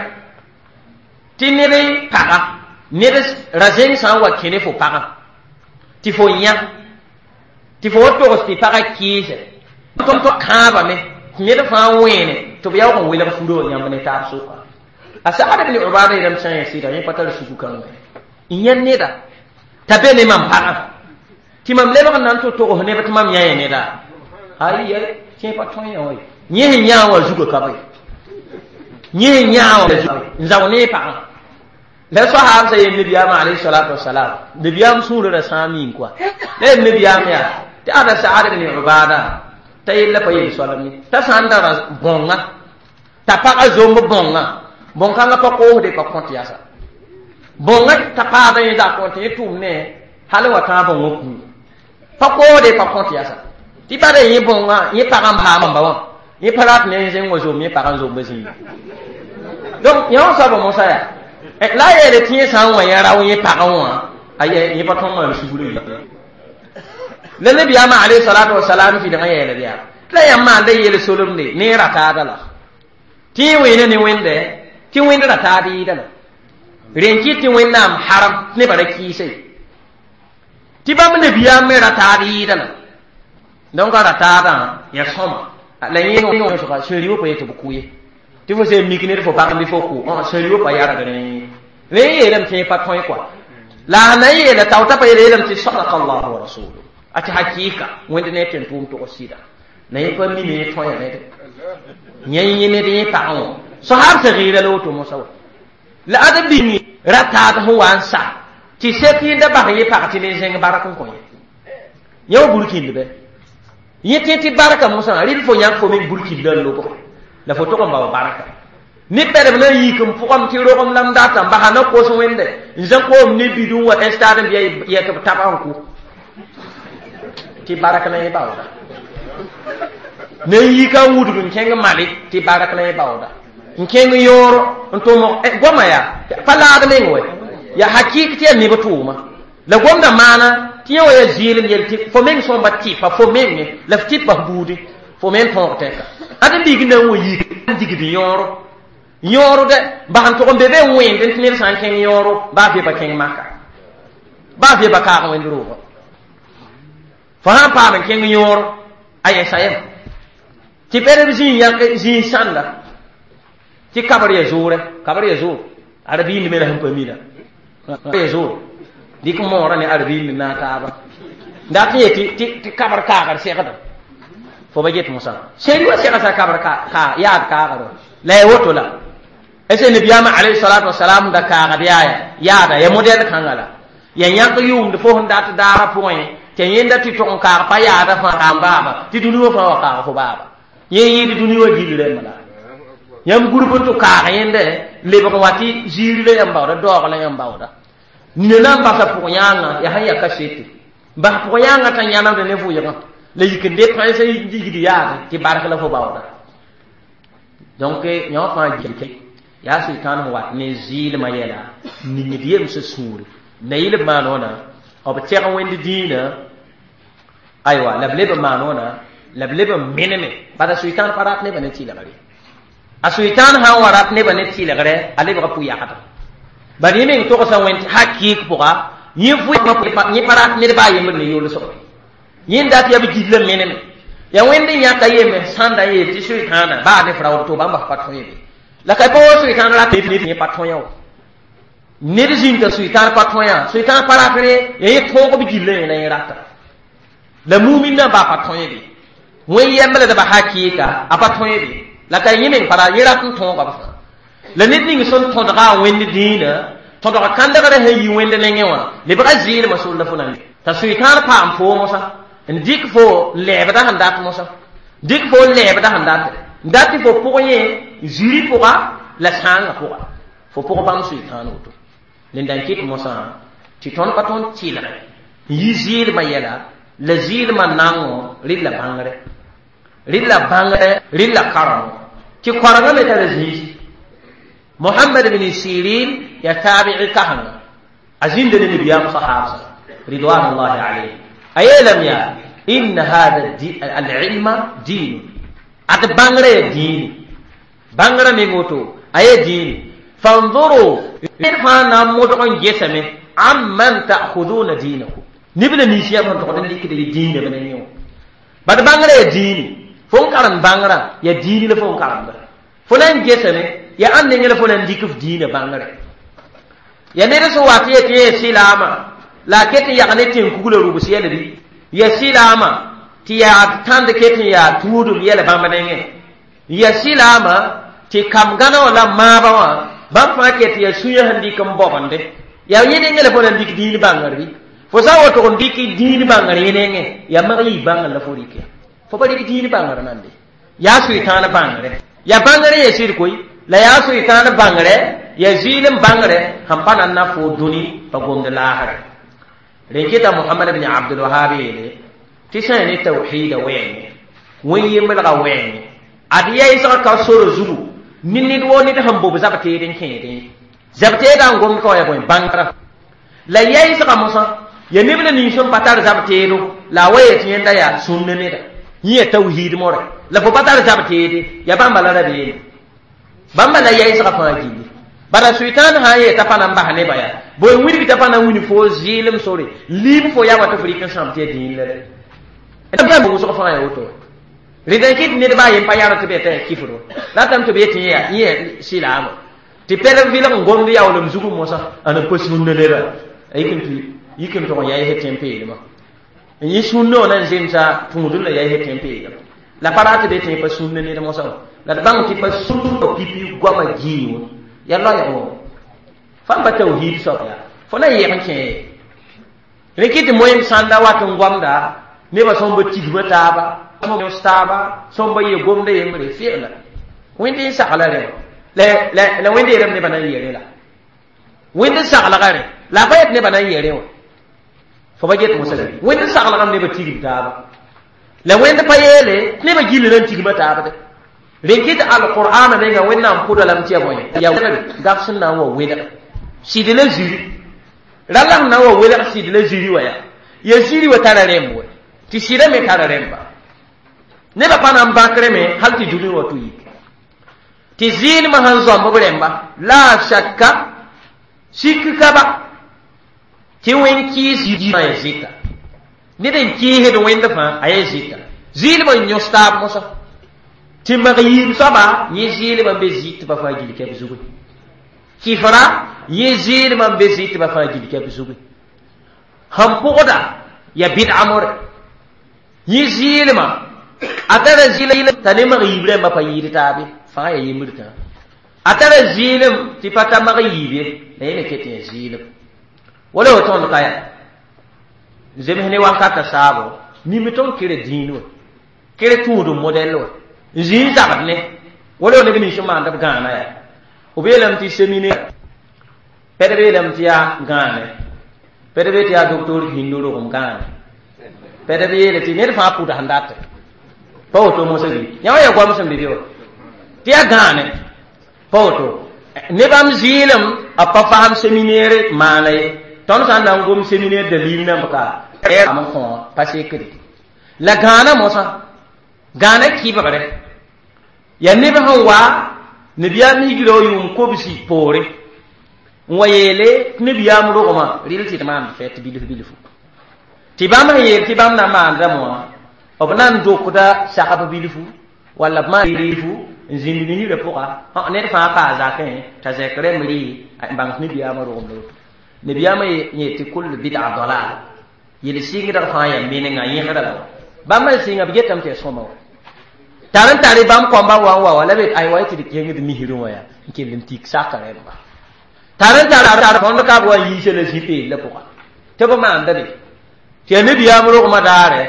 tɩ ned paga ned ra zẽng sã n wa kẽ ne fo pagã tɩ fo yã tɩ fo wa togs tɩ pagã kɩɩsɛ tõnd kãabame tɩ ned fãa wẽene tɩ b yaoog n welg furo yãmb ne taab sʋka a Sa'd ibn Ubada yeelame sã n yaa sɩda yẽ pa tar suku kãnga n yã neda t'a be ne mam pagã tɩ mam lebg n na n tɩ togs neb tɩ mam yã neda ay ay tẽ pa tõe yã wa yẽ sẽn yã wã zugã ka be yẽ sẽn yã wã n zao ne pagã la sahaab sa yel nabiyaamã alayhi salatu wasalam nabiyaam sũurã ra sãam yĩng koa la yel nabiyaam yaa tɩ ada Sa'd ibn Ubada t'a yella pa yel soalem ye t'a sã n dara bõnga t'a pagã zomb bõnga bõn-kãngã pa koosde pa kõt yasa bõnga t'a paada yẽ zak wã tɩ yẽ tʋʋm ne hal wa tãag bõngã kũu pa koosde pa kõt yasa tɩ bada yẽ bõnga yẽ pagã n paam ba wã yẽ pa rat ne zẽng wa zom yẽ pagã n zomba zĩiga donc yã wã soaba mosã yaa la a yeele tɩ yẽ sã n wa yã rao yẽ pagã wã a yẽ pa tõnd maan sugr ye la nabiyaamã alayhi salatu wasalam fɩdgã yeelb yaa tɩ la yãmb maanda yeel solemde ne ra taada la tɩ yẽ wẽena ne wẽnde tɩ wẽnd ra taad yɩɩda la rẽn kɩt tɩ wẽnnaam haram tɩ nebã ra kɩɩsa ye tɩ bãmb nabiyaam me ra taad yɩɩda la donc a ra taadã yaa sõma la yẽ sẽn rɩ pa yetɩ b kʋ ye tɩ fo sẽn mik ned fo pag bɩ fo kʋ sẽn rɩ pa yarg rẽ rẽ yeelame tɩ yẽ pa tõe kɔa la a na n yeela tao t'a pa yeela yeelame tɩ sadaka allahu wa rasuluhu a tɩ hakɩɩka wẽnd ne tɩ n tʋʋm tʋgs sɩda la yẽ pa mime yẽ tõe ned yẽ yẽ ned yẽ pagã wã sahaab sã gɩɩra la woto mosã wa la ad bĩngi ra taad sẽn wa n sa tɩ sek yẽnda bas yẽ pag tɩ ne zẽng bark n kõ yẽ yã wa burkĩnd bɛ yẽ tẽ tɩ barka mosã rɩl fo yãk fo meng burkĩndã n lobg la fo tʋg n bao barka ne pɛlb na n yik n pʋgame tɩ rogem la m data n basa na kos wẽnde n zã koom ne bidũ wa stade n bɩa yɛ tɩ b taba n kʋ tɩ bark na yẽ baooda na n yika n wudg n kẽng mali tɩ bark na yẽ baooda n kẽng yõor n tʋmg goama yaa pa laad meng wɛ yaa hakɩɩk tɩ yaa neb tʋʋma la gomda maana tɩ yẽ wa yaa zɩɩlem yel tɩ fo meng sõmba tɩpa fo menge la f tɩpa f buudi fo meng tõog tɛka ad n biig na n wa yik n digd yõoro yõoro dɛ bas n tʋg n be be n wẽnd tɩ ned sã n kẽng yõoro baa veba kẽng maka baa veba kaag wẽnd roogã Fo sãn paam n kẽng yõor a yɛsa yem tɩ pɛdb zĩig yãk zĩig sãnda tɩ kabr ya zoorɛ kabr ya zoor arabiind me la sẽn pa mina ya zoor dɩk moorã ne arabiind n naag taaba dat n yet tɩ kabr kaagr segda fo ba get mosã sẽri wa segsa kabr yaad kaagr la ya woto la ese nabiyaama alayhi salatu wasalam da kaagd yaaya yaada ya modɛl kãnga la ya yãk yʋʋmd fo sẽn dat daara pʋgẽ tɩ yẽnda tɩ tʋg n kaag pa yaada fãa n baaba tɩ dũni wã fãa wa kaag fo baaba yẽ yɩɩd dũni wã gill rẽmba la yãmb gurb n tʋ kaag yẽnda lebg wa tɩ ziiri la yãmb baooda daoog la yãmb baooda nina na n basa pʋg yãanga yaa sẽn ya kasete bas pʋg yãanga t'a yãnemd ne vʋɩgã la yik n de pãnsã yigd yaade tɩ bark la fo baooda donc yõ fãa gilke yaa sʋɩtãan sẽn wat ne zɩɩlmã yɛla ningd yemsã sũure na yɩl b maan wãna b tɛg wẽnd dĩinã aywa la b leb n maan wãna la b leb n meneme bala sʋɩtãan pa rat nebã ne tɩlgre a sʋɩtãan sã n wa rat nebã ne tɩlgrɛ a lebga pʋ-yagda bad yẽ meng togsã wẽnd hakɩɩk pʋga yẽ yẽ pa rat ned baa yembr ne yolsgre yẽnd dat yaa b gil n meneme ya wẽnd n yãka yeme sãnda n yeel tɩ sʋɩtãana baa ne fraood to bãmba pa tõe be la ka pa wa sʋɩtãan rat yẽ pa tõe wã ned zĩnta sʋɩtãan pa tõe sʋɩtãan pa ratre ya yẽ tõog b gillã yẽ la yẽ rata la mumin na baa pa tõe be wẽn yembldbã hakɩɩka a pa tõe be la ka yẽ meng pa ra yẽ rat n tõoga b fãa la ned ning sẽn tõdga a wẽnd dĩinã tõdg kãndgrã sẽn yi wẽnd nengẽ wã lebga zɩɩlmã sor la fo na t'a sʋɩtãan paam foo mosã n dɩk fo n lɛɛbda sẽn dat mosã dɩk fo n lɛɛbda sẽn dat n dat tɩ fo pʋg yẽ ziri pʋga la sãangã pʋga fo pʋg bãmb sʋɩtãan woto nenda n kɩt mosã tɩ tõnd pa tõnd tɩlgɛ n yi zɩɩlmã yɛla la zɩɩlmã nango rɩd la bãngre rɩd la bãngre rɩd la karengo tɩ koarengã me tara zĩisi Muhammad bin Sirin ya tabi'i kahanga azin da ne biya sahaba ridwanullahi alayhi ayelam ya inna hada al-ilma din at bangre din bangre me ngoto aye din fanzuru irfa na modon jesame amman ta'khuduna dinakum nibla ni siya man to den likide din ne ben yo bad bangre din fon karan bangra ya dini la fon karan fo nan jesame ya an ne ngela fo nan dikif diina bangre ya ned sẽn wat yetɩ yẽ sɩlaamã la a ket n yag ne tẽn-kugla rubs yɛl bɩ ya sɩlaamã tɩ yaa tãnd ket n yaa tuudum yɛl bãmb nengẽ ya sɩlaamã tɩ kam gãna wã la maabã wã bãmb fãa ket ya sũyã sẽn dɩk n bobende yaa yẽ nengẽ la fo nan dɩk dĩin bãngr bɩ fo sã n wa tog n dɩk dĩin bãngr yẽ nengẽ yaa mag yɩ bãngr la fo rɩk ya fo pa rɩk dĩin bãngr nande yaa sʋɩtãan bãngre ya bãngr yẽ sɩd koe la yaa sʋɩtãan bãngre ya zɩɩlem bãngre sẽn pa nan na fo dũni pa gomd laasre rẽn kɩta Mohamad bn Abdulwahab yeele tɩ sã n ne tawhiida wɛɛngẽ wẽn yemblga wɛɛngẽ ad yɛɩsg ka soro zugu ne ned woo ned sẽn bob zab-teed n kẽedẽ zab-teedã n gomd ka wa ya bõe bãngrã la yɛɩsga mosã ya neb la nins sẽn pa tar zab-teedo la a wa yet yẽnda yaa sũnd neda yẽ ya tawhiid more la fo pa tar zab-teede ya bãmba la rabeene bãmba la yɛɩsga fãa gilli bala sʋɩtãan sã n yee t'a pa na n bas nebã yaa bõe wilg t'a pa na n wilg fo zɩɩlem sore liib fo yaa wa tɩ fo rɩk n sãam tɩ ya dĩin la rɛ wʋsg fãa yaa woto rẽd n kɩt ned baa yen pa yar tɩ b yetã yaa kifro ratame tɩ b yetɩ yẽ yaa sɩlaamã tɩ pɛlg vɩlg n gomd yaoolem zugum mosã a na pa sũnna neda yik n tʋg n yaɩs tẽn-peelmã n yẽ sũnna wã na n zemsa tũudr la yaɩs tẽn-peelmã la pa rat tɩ be tɩ pa sũnna ned mosã la d bãng tɩ pa sũnna pipi goamã gĩiwã ya loɛɛgo fãn pa tawhiid soab yaa fo na n yɛg n kẽ rẽ kɩ tɩ moẽm sãnda wat n goamda nebã sõmba tigma taaba taaba sõmba ye gomda yembre fɩgla wẽnd n sagla rẽ la wẽnd yeelame nebã na n yee rẽ la wẽnd n saglga rẽ la a pa yet nebã na n yee rẽ wã fo pa get mosã wẽnd n saglgame nebã tigm taaba la wẽnd pa yeele tɩ nebã gilli na n tigma taab de rẽn kɩt alqur'ana menga wẽnnaam pʋda lame tɩ ya bõe ya gaf sẽn na n wa welg sɩd la ziri rala sẽn na n wa welg sɩd la ziri wã yaa ya ziri wa tara rẽmb we tɩ sɩda me tara rẽmba nebã pa na n bãkre me hal tɩ dũni wa tʋ yik tɩ zɩɩlmã sẽn zãmb b rẽmba la shakka sik ka ba tɩ wẽn kɩɩs ya zɩta Ned n kɩɩsd wẽnd fãa a yaa zɩta zɩɩlmã n yõs taab mosã tɩ mag yiib soaba yẽ zɩɩlmã n be zɩtbã fãa gill kɛp zugu kifra yẽ zɩɩlmã n be zɩtbã fãa gill kɛp zugu sẽn pʋgda ya bɩd'a more yẽ zɩɩlmã a tara zɩɩlem t'a ne mag yiib rãmbã pa yɩɩd taabe fãa ya yembr tã a tara zɩɩlem tɩ pa ta mag yiib ye la yẽ me ket yaa zɩɩlem wala wo tõnd ka ya zems ne wankata saabo nimi tõnd kere dĩin wã kere tũudum modɛl wã n zĩ n zabd ne wala neb nins n maand b gãana yaa b yeelame tɩ séminaire pɛdb yeelame tɩ yaa gãane pɛdb tɩ yaa docteur hindu rogem gãane pɛdb yeele tɩ ned fãa pʋd sẽn date pa woto mosã bɩ yã wã yaa goam sẽn be be wã tɩ yaa gãane pa woto nebam zɩɩlem a pa fasem séminaire maana ye tõnd sã n na n gom séminaire dalil nãmb ka am n kõ pa sekde la gãana mosã gãana kɩbgre yaa neb sẽn wa nabiyaam higra wa yʋʋm kobsi poore n wa yeele tɩ nabiyaam rogmã rɩl tɩ d maand fɛt bilf bilfu tɩ bãmb sẽn yeel tɩ bãmb na n maandame wã b na n dokda sagb bilfu walla b maan bilfu n zĩnd misrã pʋga ned fãa paa zakẽ t'a zɛk rẽmb rɩ n bãng tɩ nabiyaamã rogem la woto nabiyaamã yet tɩ kul bid'a dalal yel sɩngdg fãa yaa menenga yẽsra la wa bãmb n sɩnga b getame tɩ yaa sõma wa tar n tare bãmb kõmba wa n wa wa la be ay wa tɩ d kẽngd misrẽ wã yaa n kell n tik saka rẽmba tar n tar tõnd ka b wa n yiisa la zĩ-peel la pʋga tɩ b maanda be tɩ yaa nabiyaam rogmã daare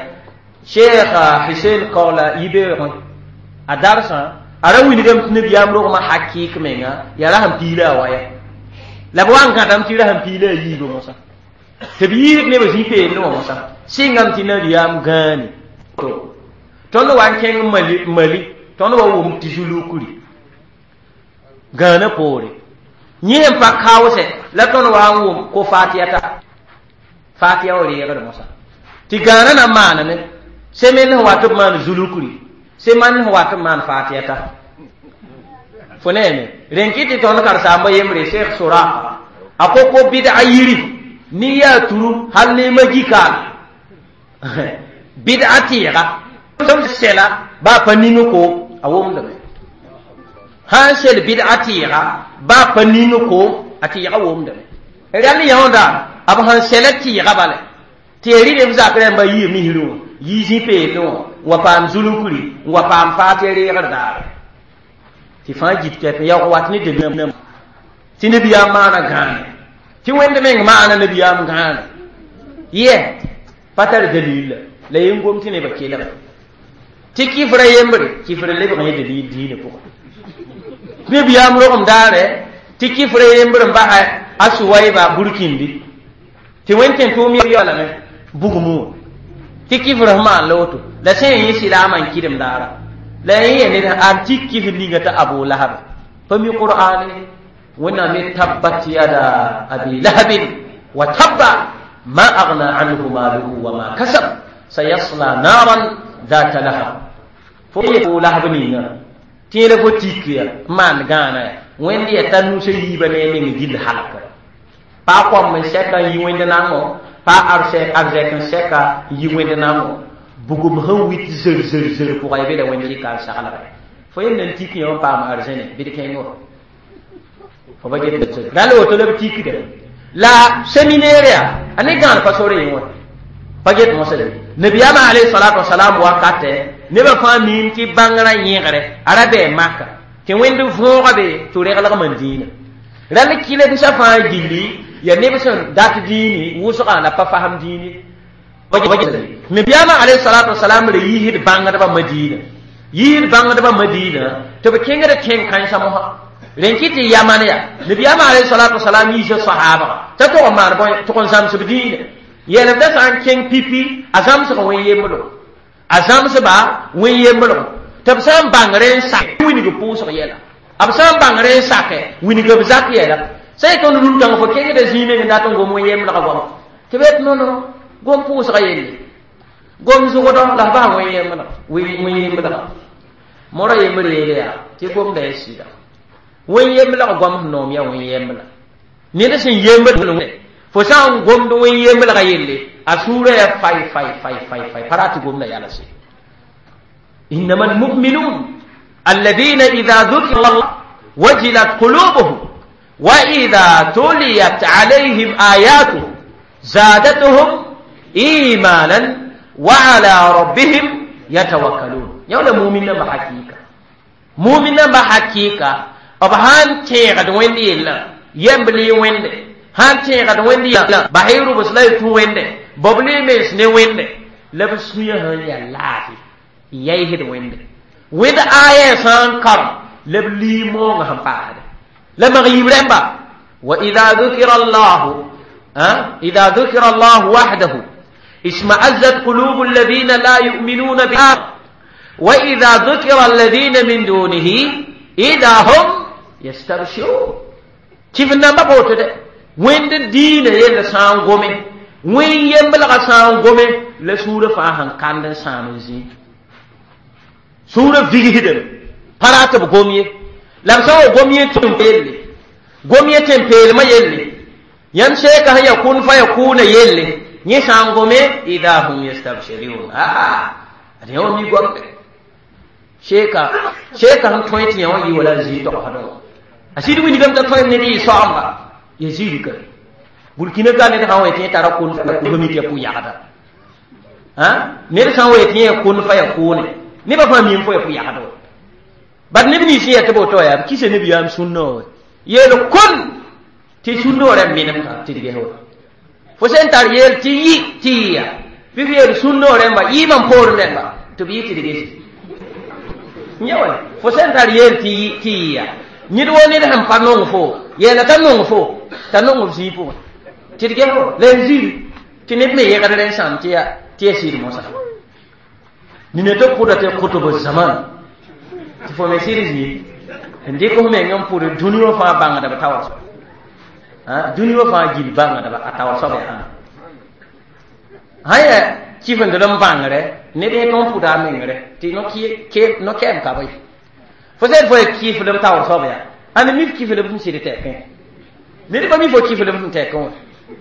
cheikh Hussein Kaola yibeoogẽ a darsã a ra wilgame tɩ nabiyaam rogmã hakɩɩk menga yaa ra sẽn piila a wa ya la b wa n gãdame tɩ ra sẽn piila a yiibã mosã tɩ b yiib nebã zĩ-peelẽ wã mosã sɩngame tɩ nabiyaam gãane tõnd wa n kẽng Mali tõnd wa wʋm tɩ zulukri gãanã poore yẽ sẽn pa kaoosɛ la tõnd wa n wʋm ko fatiya ta fatiya wa reegd mosã tɩ gãanã na n maaname semen sẽn wat b maan zulukri seman sẽn wat b maan fatiya ta fo neeme rẽn kɩ tɩ tõnd karen-saamba yembre Cheikh Soraka a ko bɩd'a yiri ni yaa turu hal ne magikaal bɩd'a tɩɩga sɛla baa pa ning ko a wʋmdame sãn sel bɩd'a tɩɩga baa pa ning ko a tɩɩga wʋmdame rãll yãooda b sẽn sɛla tɩɩga bala tɩ ya rɩ neb zak rãmba yiib misrẽ wã yii zĩ-peelẽ wã n wa paam zulukri n wa paam faatɩ reegr daare tɩ fãa git kɛp n yaoog wat ne dalil tɩ nabiyaam maana gãane tɩ wẽnd meng maana nabiyaam gãane yɛ pa tar dalil la yen gom tɩ nebã kelga tɩ kifra yembre kifra lebg yẽ dalil diinã pʋgã nabiyaam rogem daare tɩ kifra yembre n basa a suwayba burkindi tɩ wẽnd tẽ tʋʋm yaoolame bugmã wã tɩ kifr sẽn maan la woto la sẽn yẽ silaamã n kɩdem daara la yẽ ya ned a tik kifr ninga t'a Abu Lahab pa mi qur'ane wẽnnaam ye tabbat yada abi lahabin wa tabba ma agna anhu maluhu wa ma kasab sayasla naran ذات lahab fo Abu Lahab ninga tɩ yẽla fo tik ya n maan gãana ya wẽnd ya t'a nusã yiibã ne a meng gill halkra pa kõm n sɛka n yi wẽnd nango pa arzɛk n sɛka n yi wẽnd nango bugum sẽn wit zer zer zer pʋga ya be la wẽnd rɩka n saglgɛ fo yem na n tik yã n paam arzẽne bɩ d kẽngo fo ba get rãll woto la b tikda la séminaire ya a ne gãan pa sore yẽ wã pa get mosã de nabiyaamã alayhi salatu wasalam wakatɛ nebã fãa miim tɩ bãngrã yẽgre a ra bɩ maka tɩ wẽnd võoga be tɩ reglgmã dĩinã rãll kɩlemsã fãa gilli ya neb sẽn dat dĩini wʋsgã la pa fasem dĩini nabiyaamã alayhi salatu wasalam ra yiisd bãngdbã Madina yiisd bãngdbã Madina tɩ b kẽngd tẽn-kãensã mosã rẽn kɩ tɩ yaman ya nabiyaamã alayhi salatu wasalam yiisa sahaabga t'a tog n maan bõe tʋg n zãmsb dĩinã yɛlmdã sã n kẽng pipi a zãmsg wẽn-yembrg a zãmsba wẽn-yembrg tɩ b sã n bãng rẽ n sak wilg pʋʋsg yɛla b sã n bãng rẽ n sake wilg b zak yɛla sã y tõnd rũm-kãng fo kẽngda zĩig meng n dat n gom wẽn-yembrga goama tɩ b yet no gom pʋʋsga yelle gom zʋgdɔ la f bas wẽn-yembrga mora yembr yeele yaa tɩ gomda ya sɩda wẽn-yemblg goam sẽn noom yaa wẽn-yembla ned sẽn yembd Fo sã n gomd wẽn yemblga yelle, a sũurã yaa fay fay fay fay fay, pa rat tɩ gomda yalse. إنما المؤمنون الذين إذا ذكر الله وجلت قلوبهم وإذا تليت عليهم آياته زادتهم إيمانا وعلى ربهم يتوكلون. يولا مؤمن بحقيقة، مؤمن بحقيقة أبهان تيغد وين يلا يمبلي وين هان تيغد وين يلا بحيرو بس لا يتو وين ببلي مس ني وين لبس هي يا لافي yaysd wẽnde wẽnd aya sã n karem la b limoongã sẽn paasde la mag yiib rẽmba. Wa ida dhukira llahu, ida dhukira llahu wahdahu ishma'azzat qulubu alladhina la yu'minuna bi wa idha dhukira alladhina min dunihi idha hum yastabshirun. Kɩf namba boto de wẽnd diinã yell sã n gome, wẽn yemblgã sã n gome, la sũurã fãa sẽn kand n sãam n zĩ sũurã vigsdame, pa rat b gom ye. La b sã n wa gom yẽ tɩ n yelle, gom yẽ tɩ n peelmã yelle, yãmb seeka sẽn ya kun fa ya kʋʋna yelle, yẽ sã n gome, ida hum yastabshirun. Ad yã wa mi gomde seeka seeka sẽn tõe tɩ yã wã yɩ wala n zĩig togsdẽ wã. A sɩd wilgame t'a tõe ned yɩ soaamba ya ziirka Burkina ka ned sã n wa tɩ yẽ tara kun gomi tɩ ya pʋ-yagda, ned sã n wa tɩ yẽ ya kun fa ya kʋʋne, nebã fãa miime fo ya pʋ-yagd wa. Bad neb nins sẽn yaa tɩ b woto yaa b kisa nabiyaam sũnnã wa yeel kun tɩ sũ-noorã menemka tɩ d ges wa. Fo sẽn tar yeel tɩ yɩ tɩ yɩ ya bɩ f yeel sũ-noorẽmba yɩɩmã n poorẽ rẽmba tɩ b yɩ tɩ d gese yã wa. Fo sẽn tar yeel tɩ yɩ tɩ yɩ ya ned wo ned sẽn pa nong fo yeela t'a nong fo t'a nong f zĩig pʋgẽ tɩ d ges wa la n zĩri tɩ neb me yegd rẽ sãam tɩ ya tɩ ya sɩd mosã nina tɩ kʋda tɩ kʋtb zaman tɩ fo me sɩd zĩig n dɩk f meng n pʋd dũni wã fãa bãngdb taoor, dũni wã fãa gil bãngdba a taoor soab yaa sã yaa kifendl n bãngre ned yẽ tõn pʋda a mengre tɩ no-kɛɛm ka bɩ fo sẽn fo ya kifl m taoor soab yaa ãn mi f kifl b sẽn sɩd tɛkẽ ned pa mi fo kifl b sẽn tɛkẽ wã,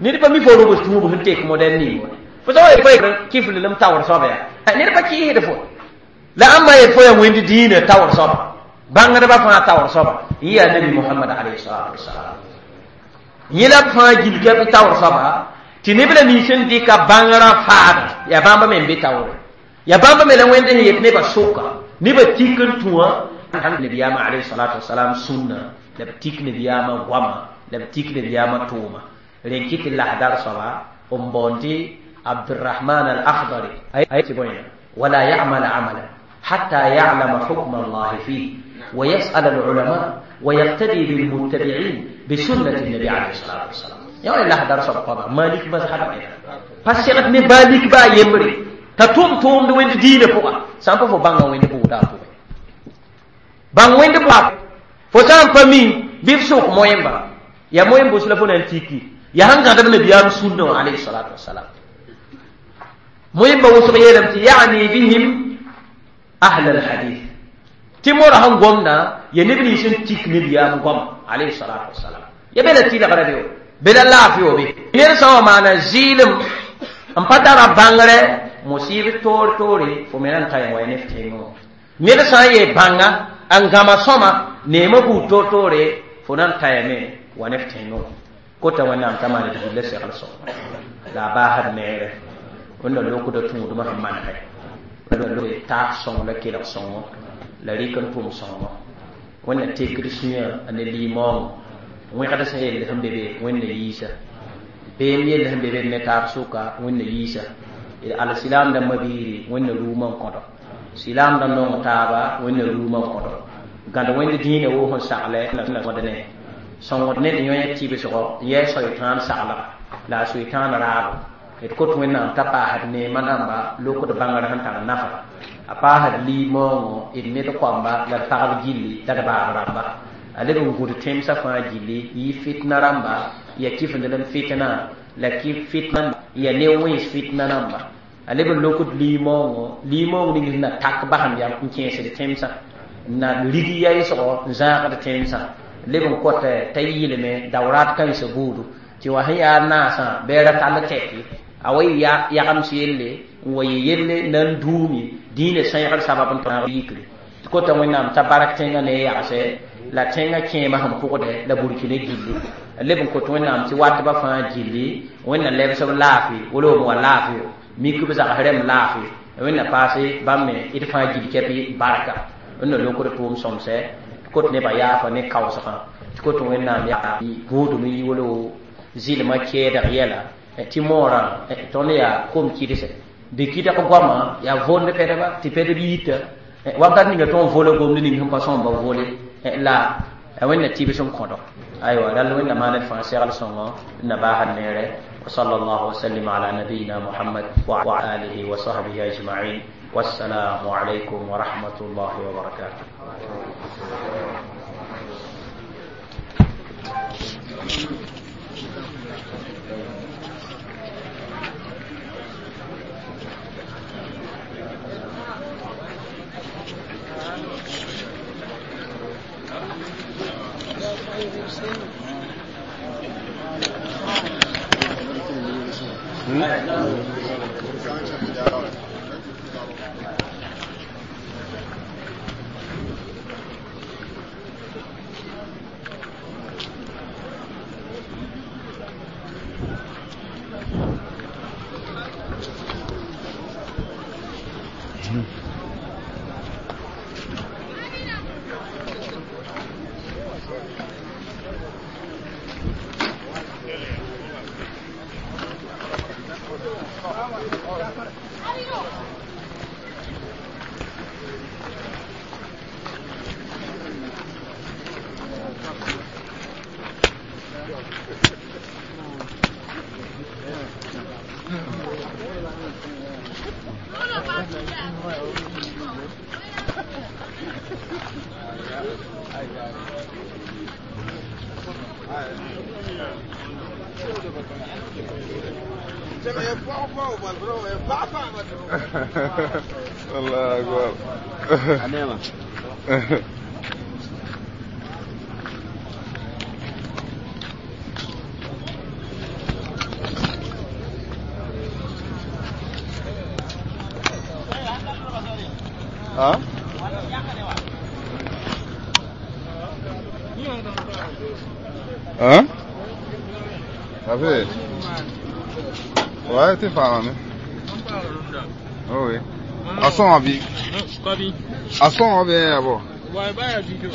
ned pa mi fo robs tũub sẽn tek modɛl ning wã. Fo sã wa fo kifl m taoor soab yaa ned pa kɩɩsd fo la ãmba yet fo yaa wẽnd diinã taoor soaba bãngdbã fãa taoor soaba yẽ yaa nabi Mohamad alayhi salatu wasalam. Yẽ la b fãa gil ka bɩ taoor soaba tɩ neb la nins sẽn dɩka bãngrã faada yaa bãmba me n be taoore, yaa bãmba me la wẽnd sẽn yet nebã sʋka nebã tik n tũa nabiyaamã alayhi salatu wasalam sũnna la b tik nabiyaamã goama la b tik nabiyaamã tʋʋma. Rẽn kɩ tɩ lasdar soaba n baoond tɩ Abdurahman al-Akhdari tɩ bõe wala ya'mal amalan حتى يعلم حكم الله فيه ويسأل العلماء ويقتدي بالمتبعين بسنة النبي عليه الصلاة والسلام. يا الله درس القضاء مالك مذهب فسيرت نبالك با يمري تتوم توم وين دين فوق سامبو فو بانغ وين بودا فوق بان وين بوا فو سامبو مي بيف سوق مويمبا يا مويمبو سلفون انتيكي يا هنغا دم النبي سنة عليه الصلاة والسلام مويمبا وسو يعني بهم أهل الحديث تمر هم قمنا ينبني سن تيك نبيام قم عليه الصلاة والسلام يا بلا تيلا غربيو بلا لا فيو بي نير سوا معنا زيلم أم بدر بانغرة مصيب تور توري فمنان تايم وينفتينو نير سوا يبانغا أنغاما سما نيمو بو تور توري فنان تايم ونفتينو كوتا وانا أمتمان تجيب لسي خلصو لا باهر نير وانا لوكو دو تمودو مهمان هاي taas sõng la kelg sõngo la rɩk n tʋm sõngo wẽnna tekd sũyã ne limaoongo wẽgd sẽn yell sẽn be be wẽnna yiisa beem yell sẽn be be ne taab sʋka wẽnna yiisa alsilaamdã mabiiri wẽnna ruumã n kõdo silaamdã nong taaba wẽnna ruumã n kõdo gãd wẽnd dĩinã woo sẽn saglɛ ne sõngd ned yõ tɩbsgɔ yɛɛ soɩtãan saglga la a soɩtãan raabo d kot wẽnnaam t'a paasd neemã namba lokd bãngr sẽn tar nafa a paasd limaoongõ d ned koamba la d pagb gilli la d baab rãmba a leb n gũd tẽmsã fãa gilli yɩ fitna rãmba ya kifendlem fitna la kif fitna ya ne wẽns fitna rãmba a leb n lokd limaoongõ limaoong ning sẽn na tak basem yam n kẽesd tẽmsã na rig yaɩsgɔ n zãagd tẽmsã leb n kõt t'a yɩlme daoraat kãensã buudu. Tɩ wã sẽn yaa naasã bɩ ra tall tɛke a wa yɩ yagms yelle n wa yɩ yelle nan duumi dĩinã sẽegr sabab n tõog yikre tɩ kota Wẽnnaam t'a bark tẽngã ne yagsɛ la tẽngã kẽemã sẽn pʋgdɛ la burkina gilli leb n kot Wẽnnaam tɩ watbã fãa gilli Wẽnna lebs b laafɩ wala b wa laafɩ mik b zags rɛm laafɩ Wẽnna paase bãmb me d fãa gil kɛpɩ barka wẽnna lokd tʋʋm sõmsɛ tɩ kot nebã yaafa ne kaoosgã tɩ kot Wẽnnaam yaa gũudum n yi wala zɩlmã kɛɛdg yɛla tɩ moorã tõnd yaa kom kɩdse bɩ kɩdg goamã yaa vond pɛdba tɩ pɛdb yita wakat ninga tõnd vola gomd ning sẽn pa sõmba vole la Wẽnna tɩbs n kõdg aywa rall Wẽnna maan d fãa segl sõngo na baasd neere وصلى الله وسلم على نبينا محمد وعلى آله وصحبه أجمعين والسلام عليكم ورحمة الله وبركاته. الله أكبر. ها؟ ها؟ Abe. Ouais, t'es pas hein. Oh oui. À son avis. À son avis, d'abord. Ouais, bah, du tout.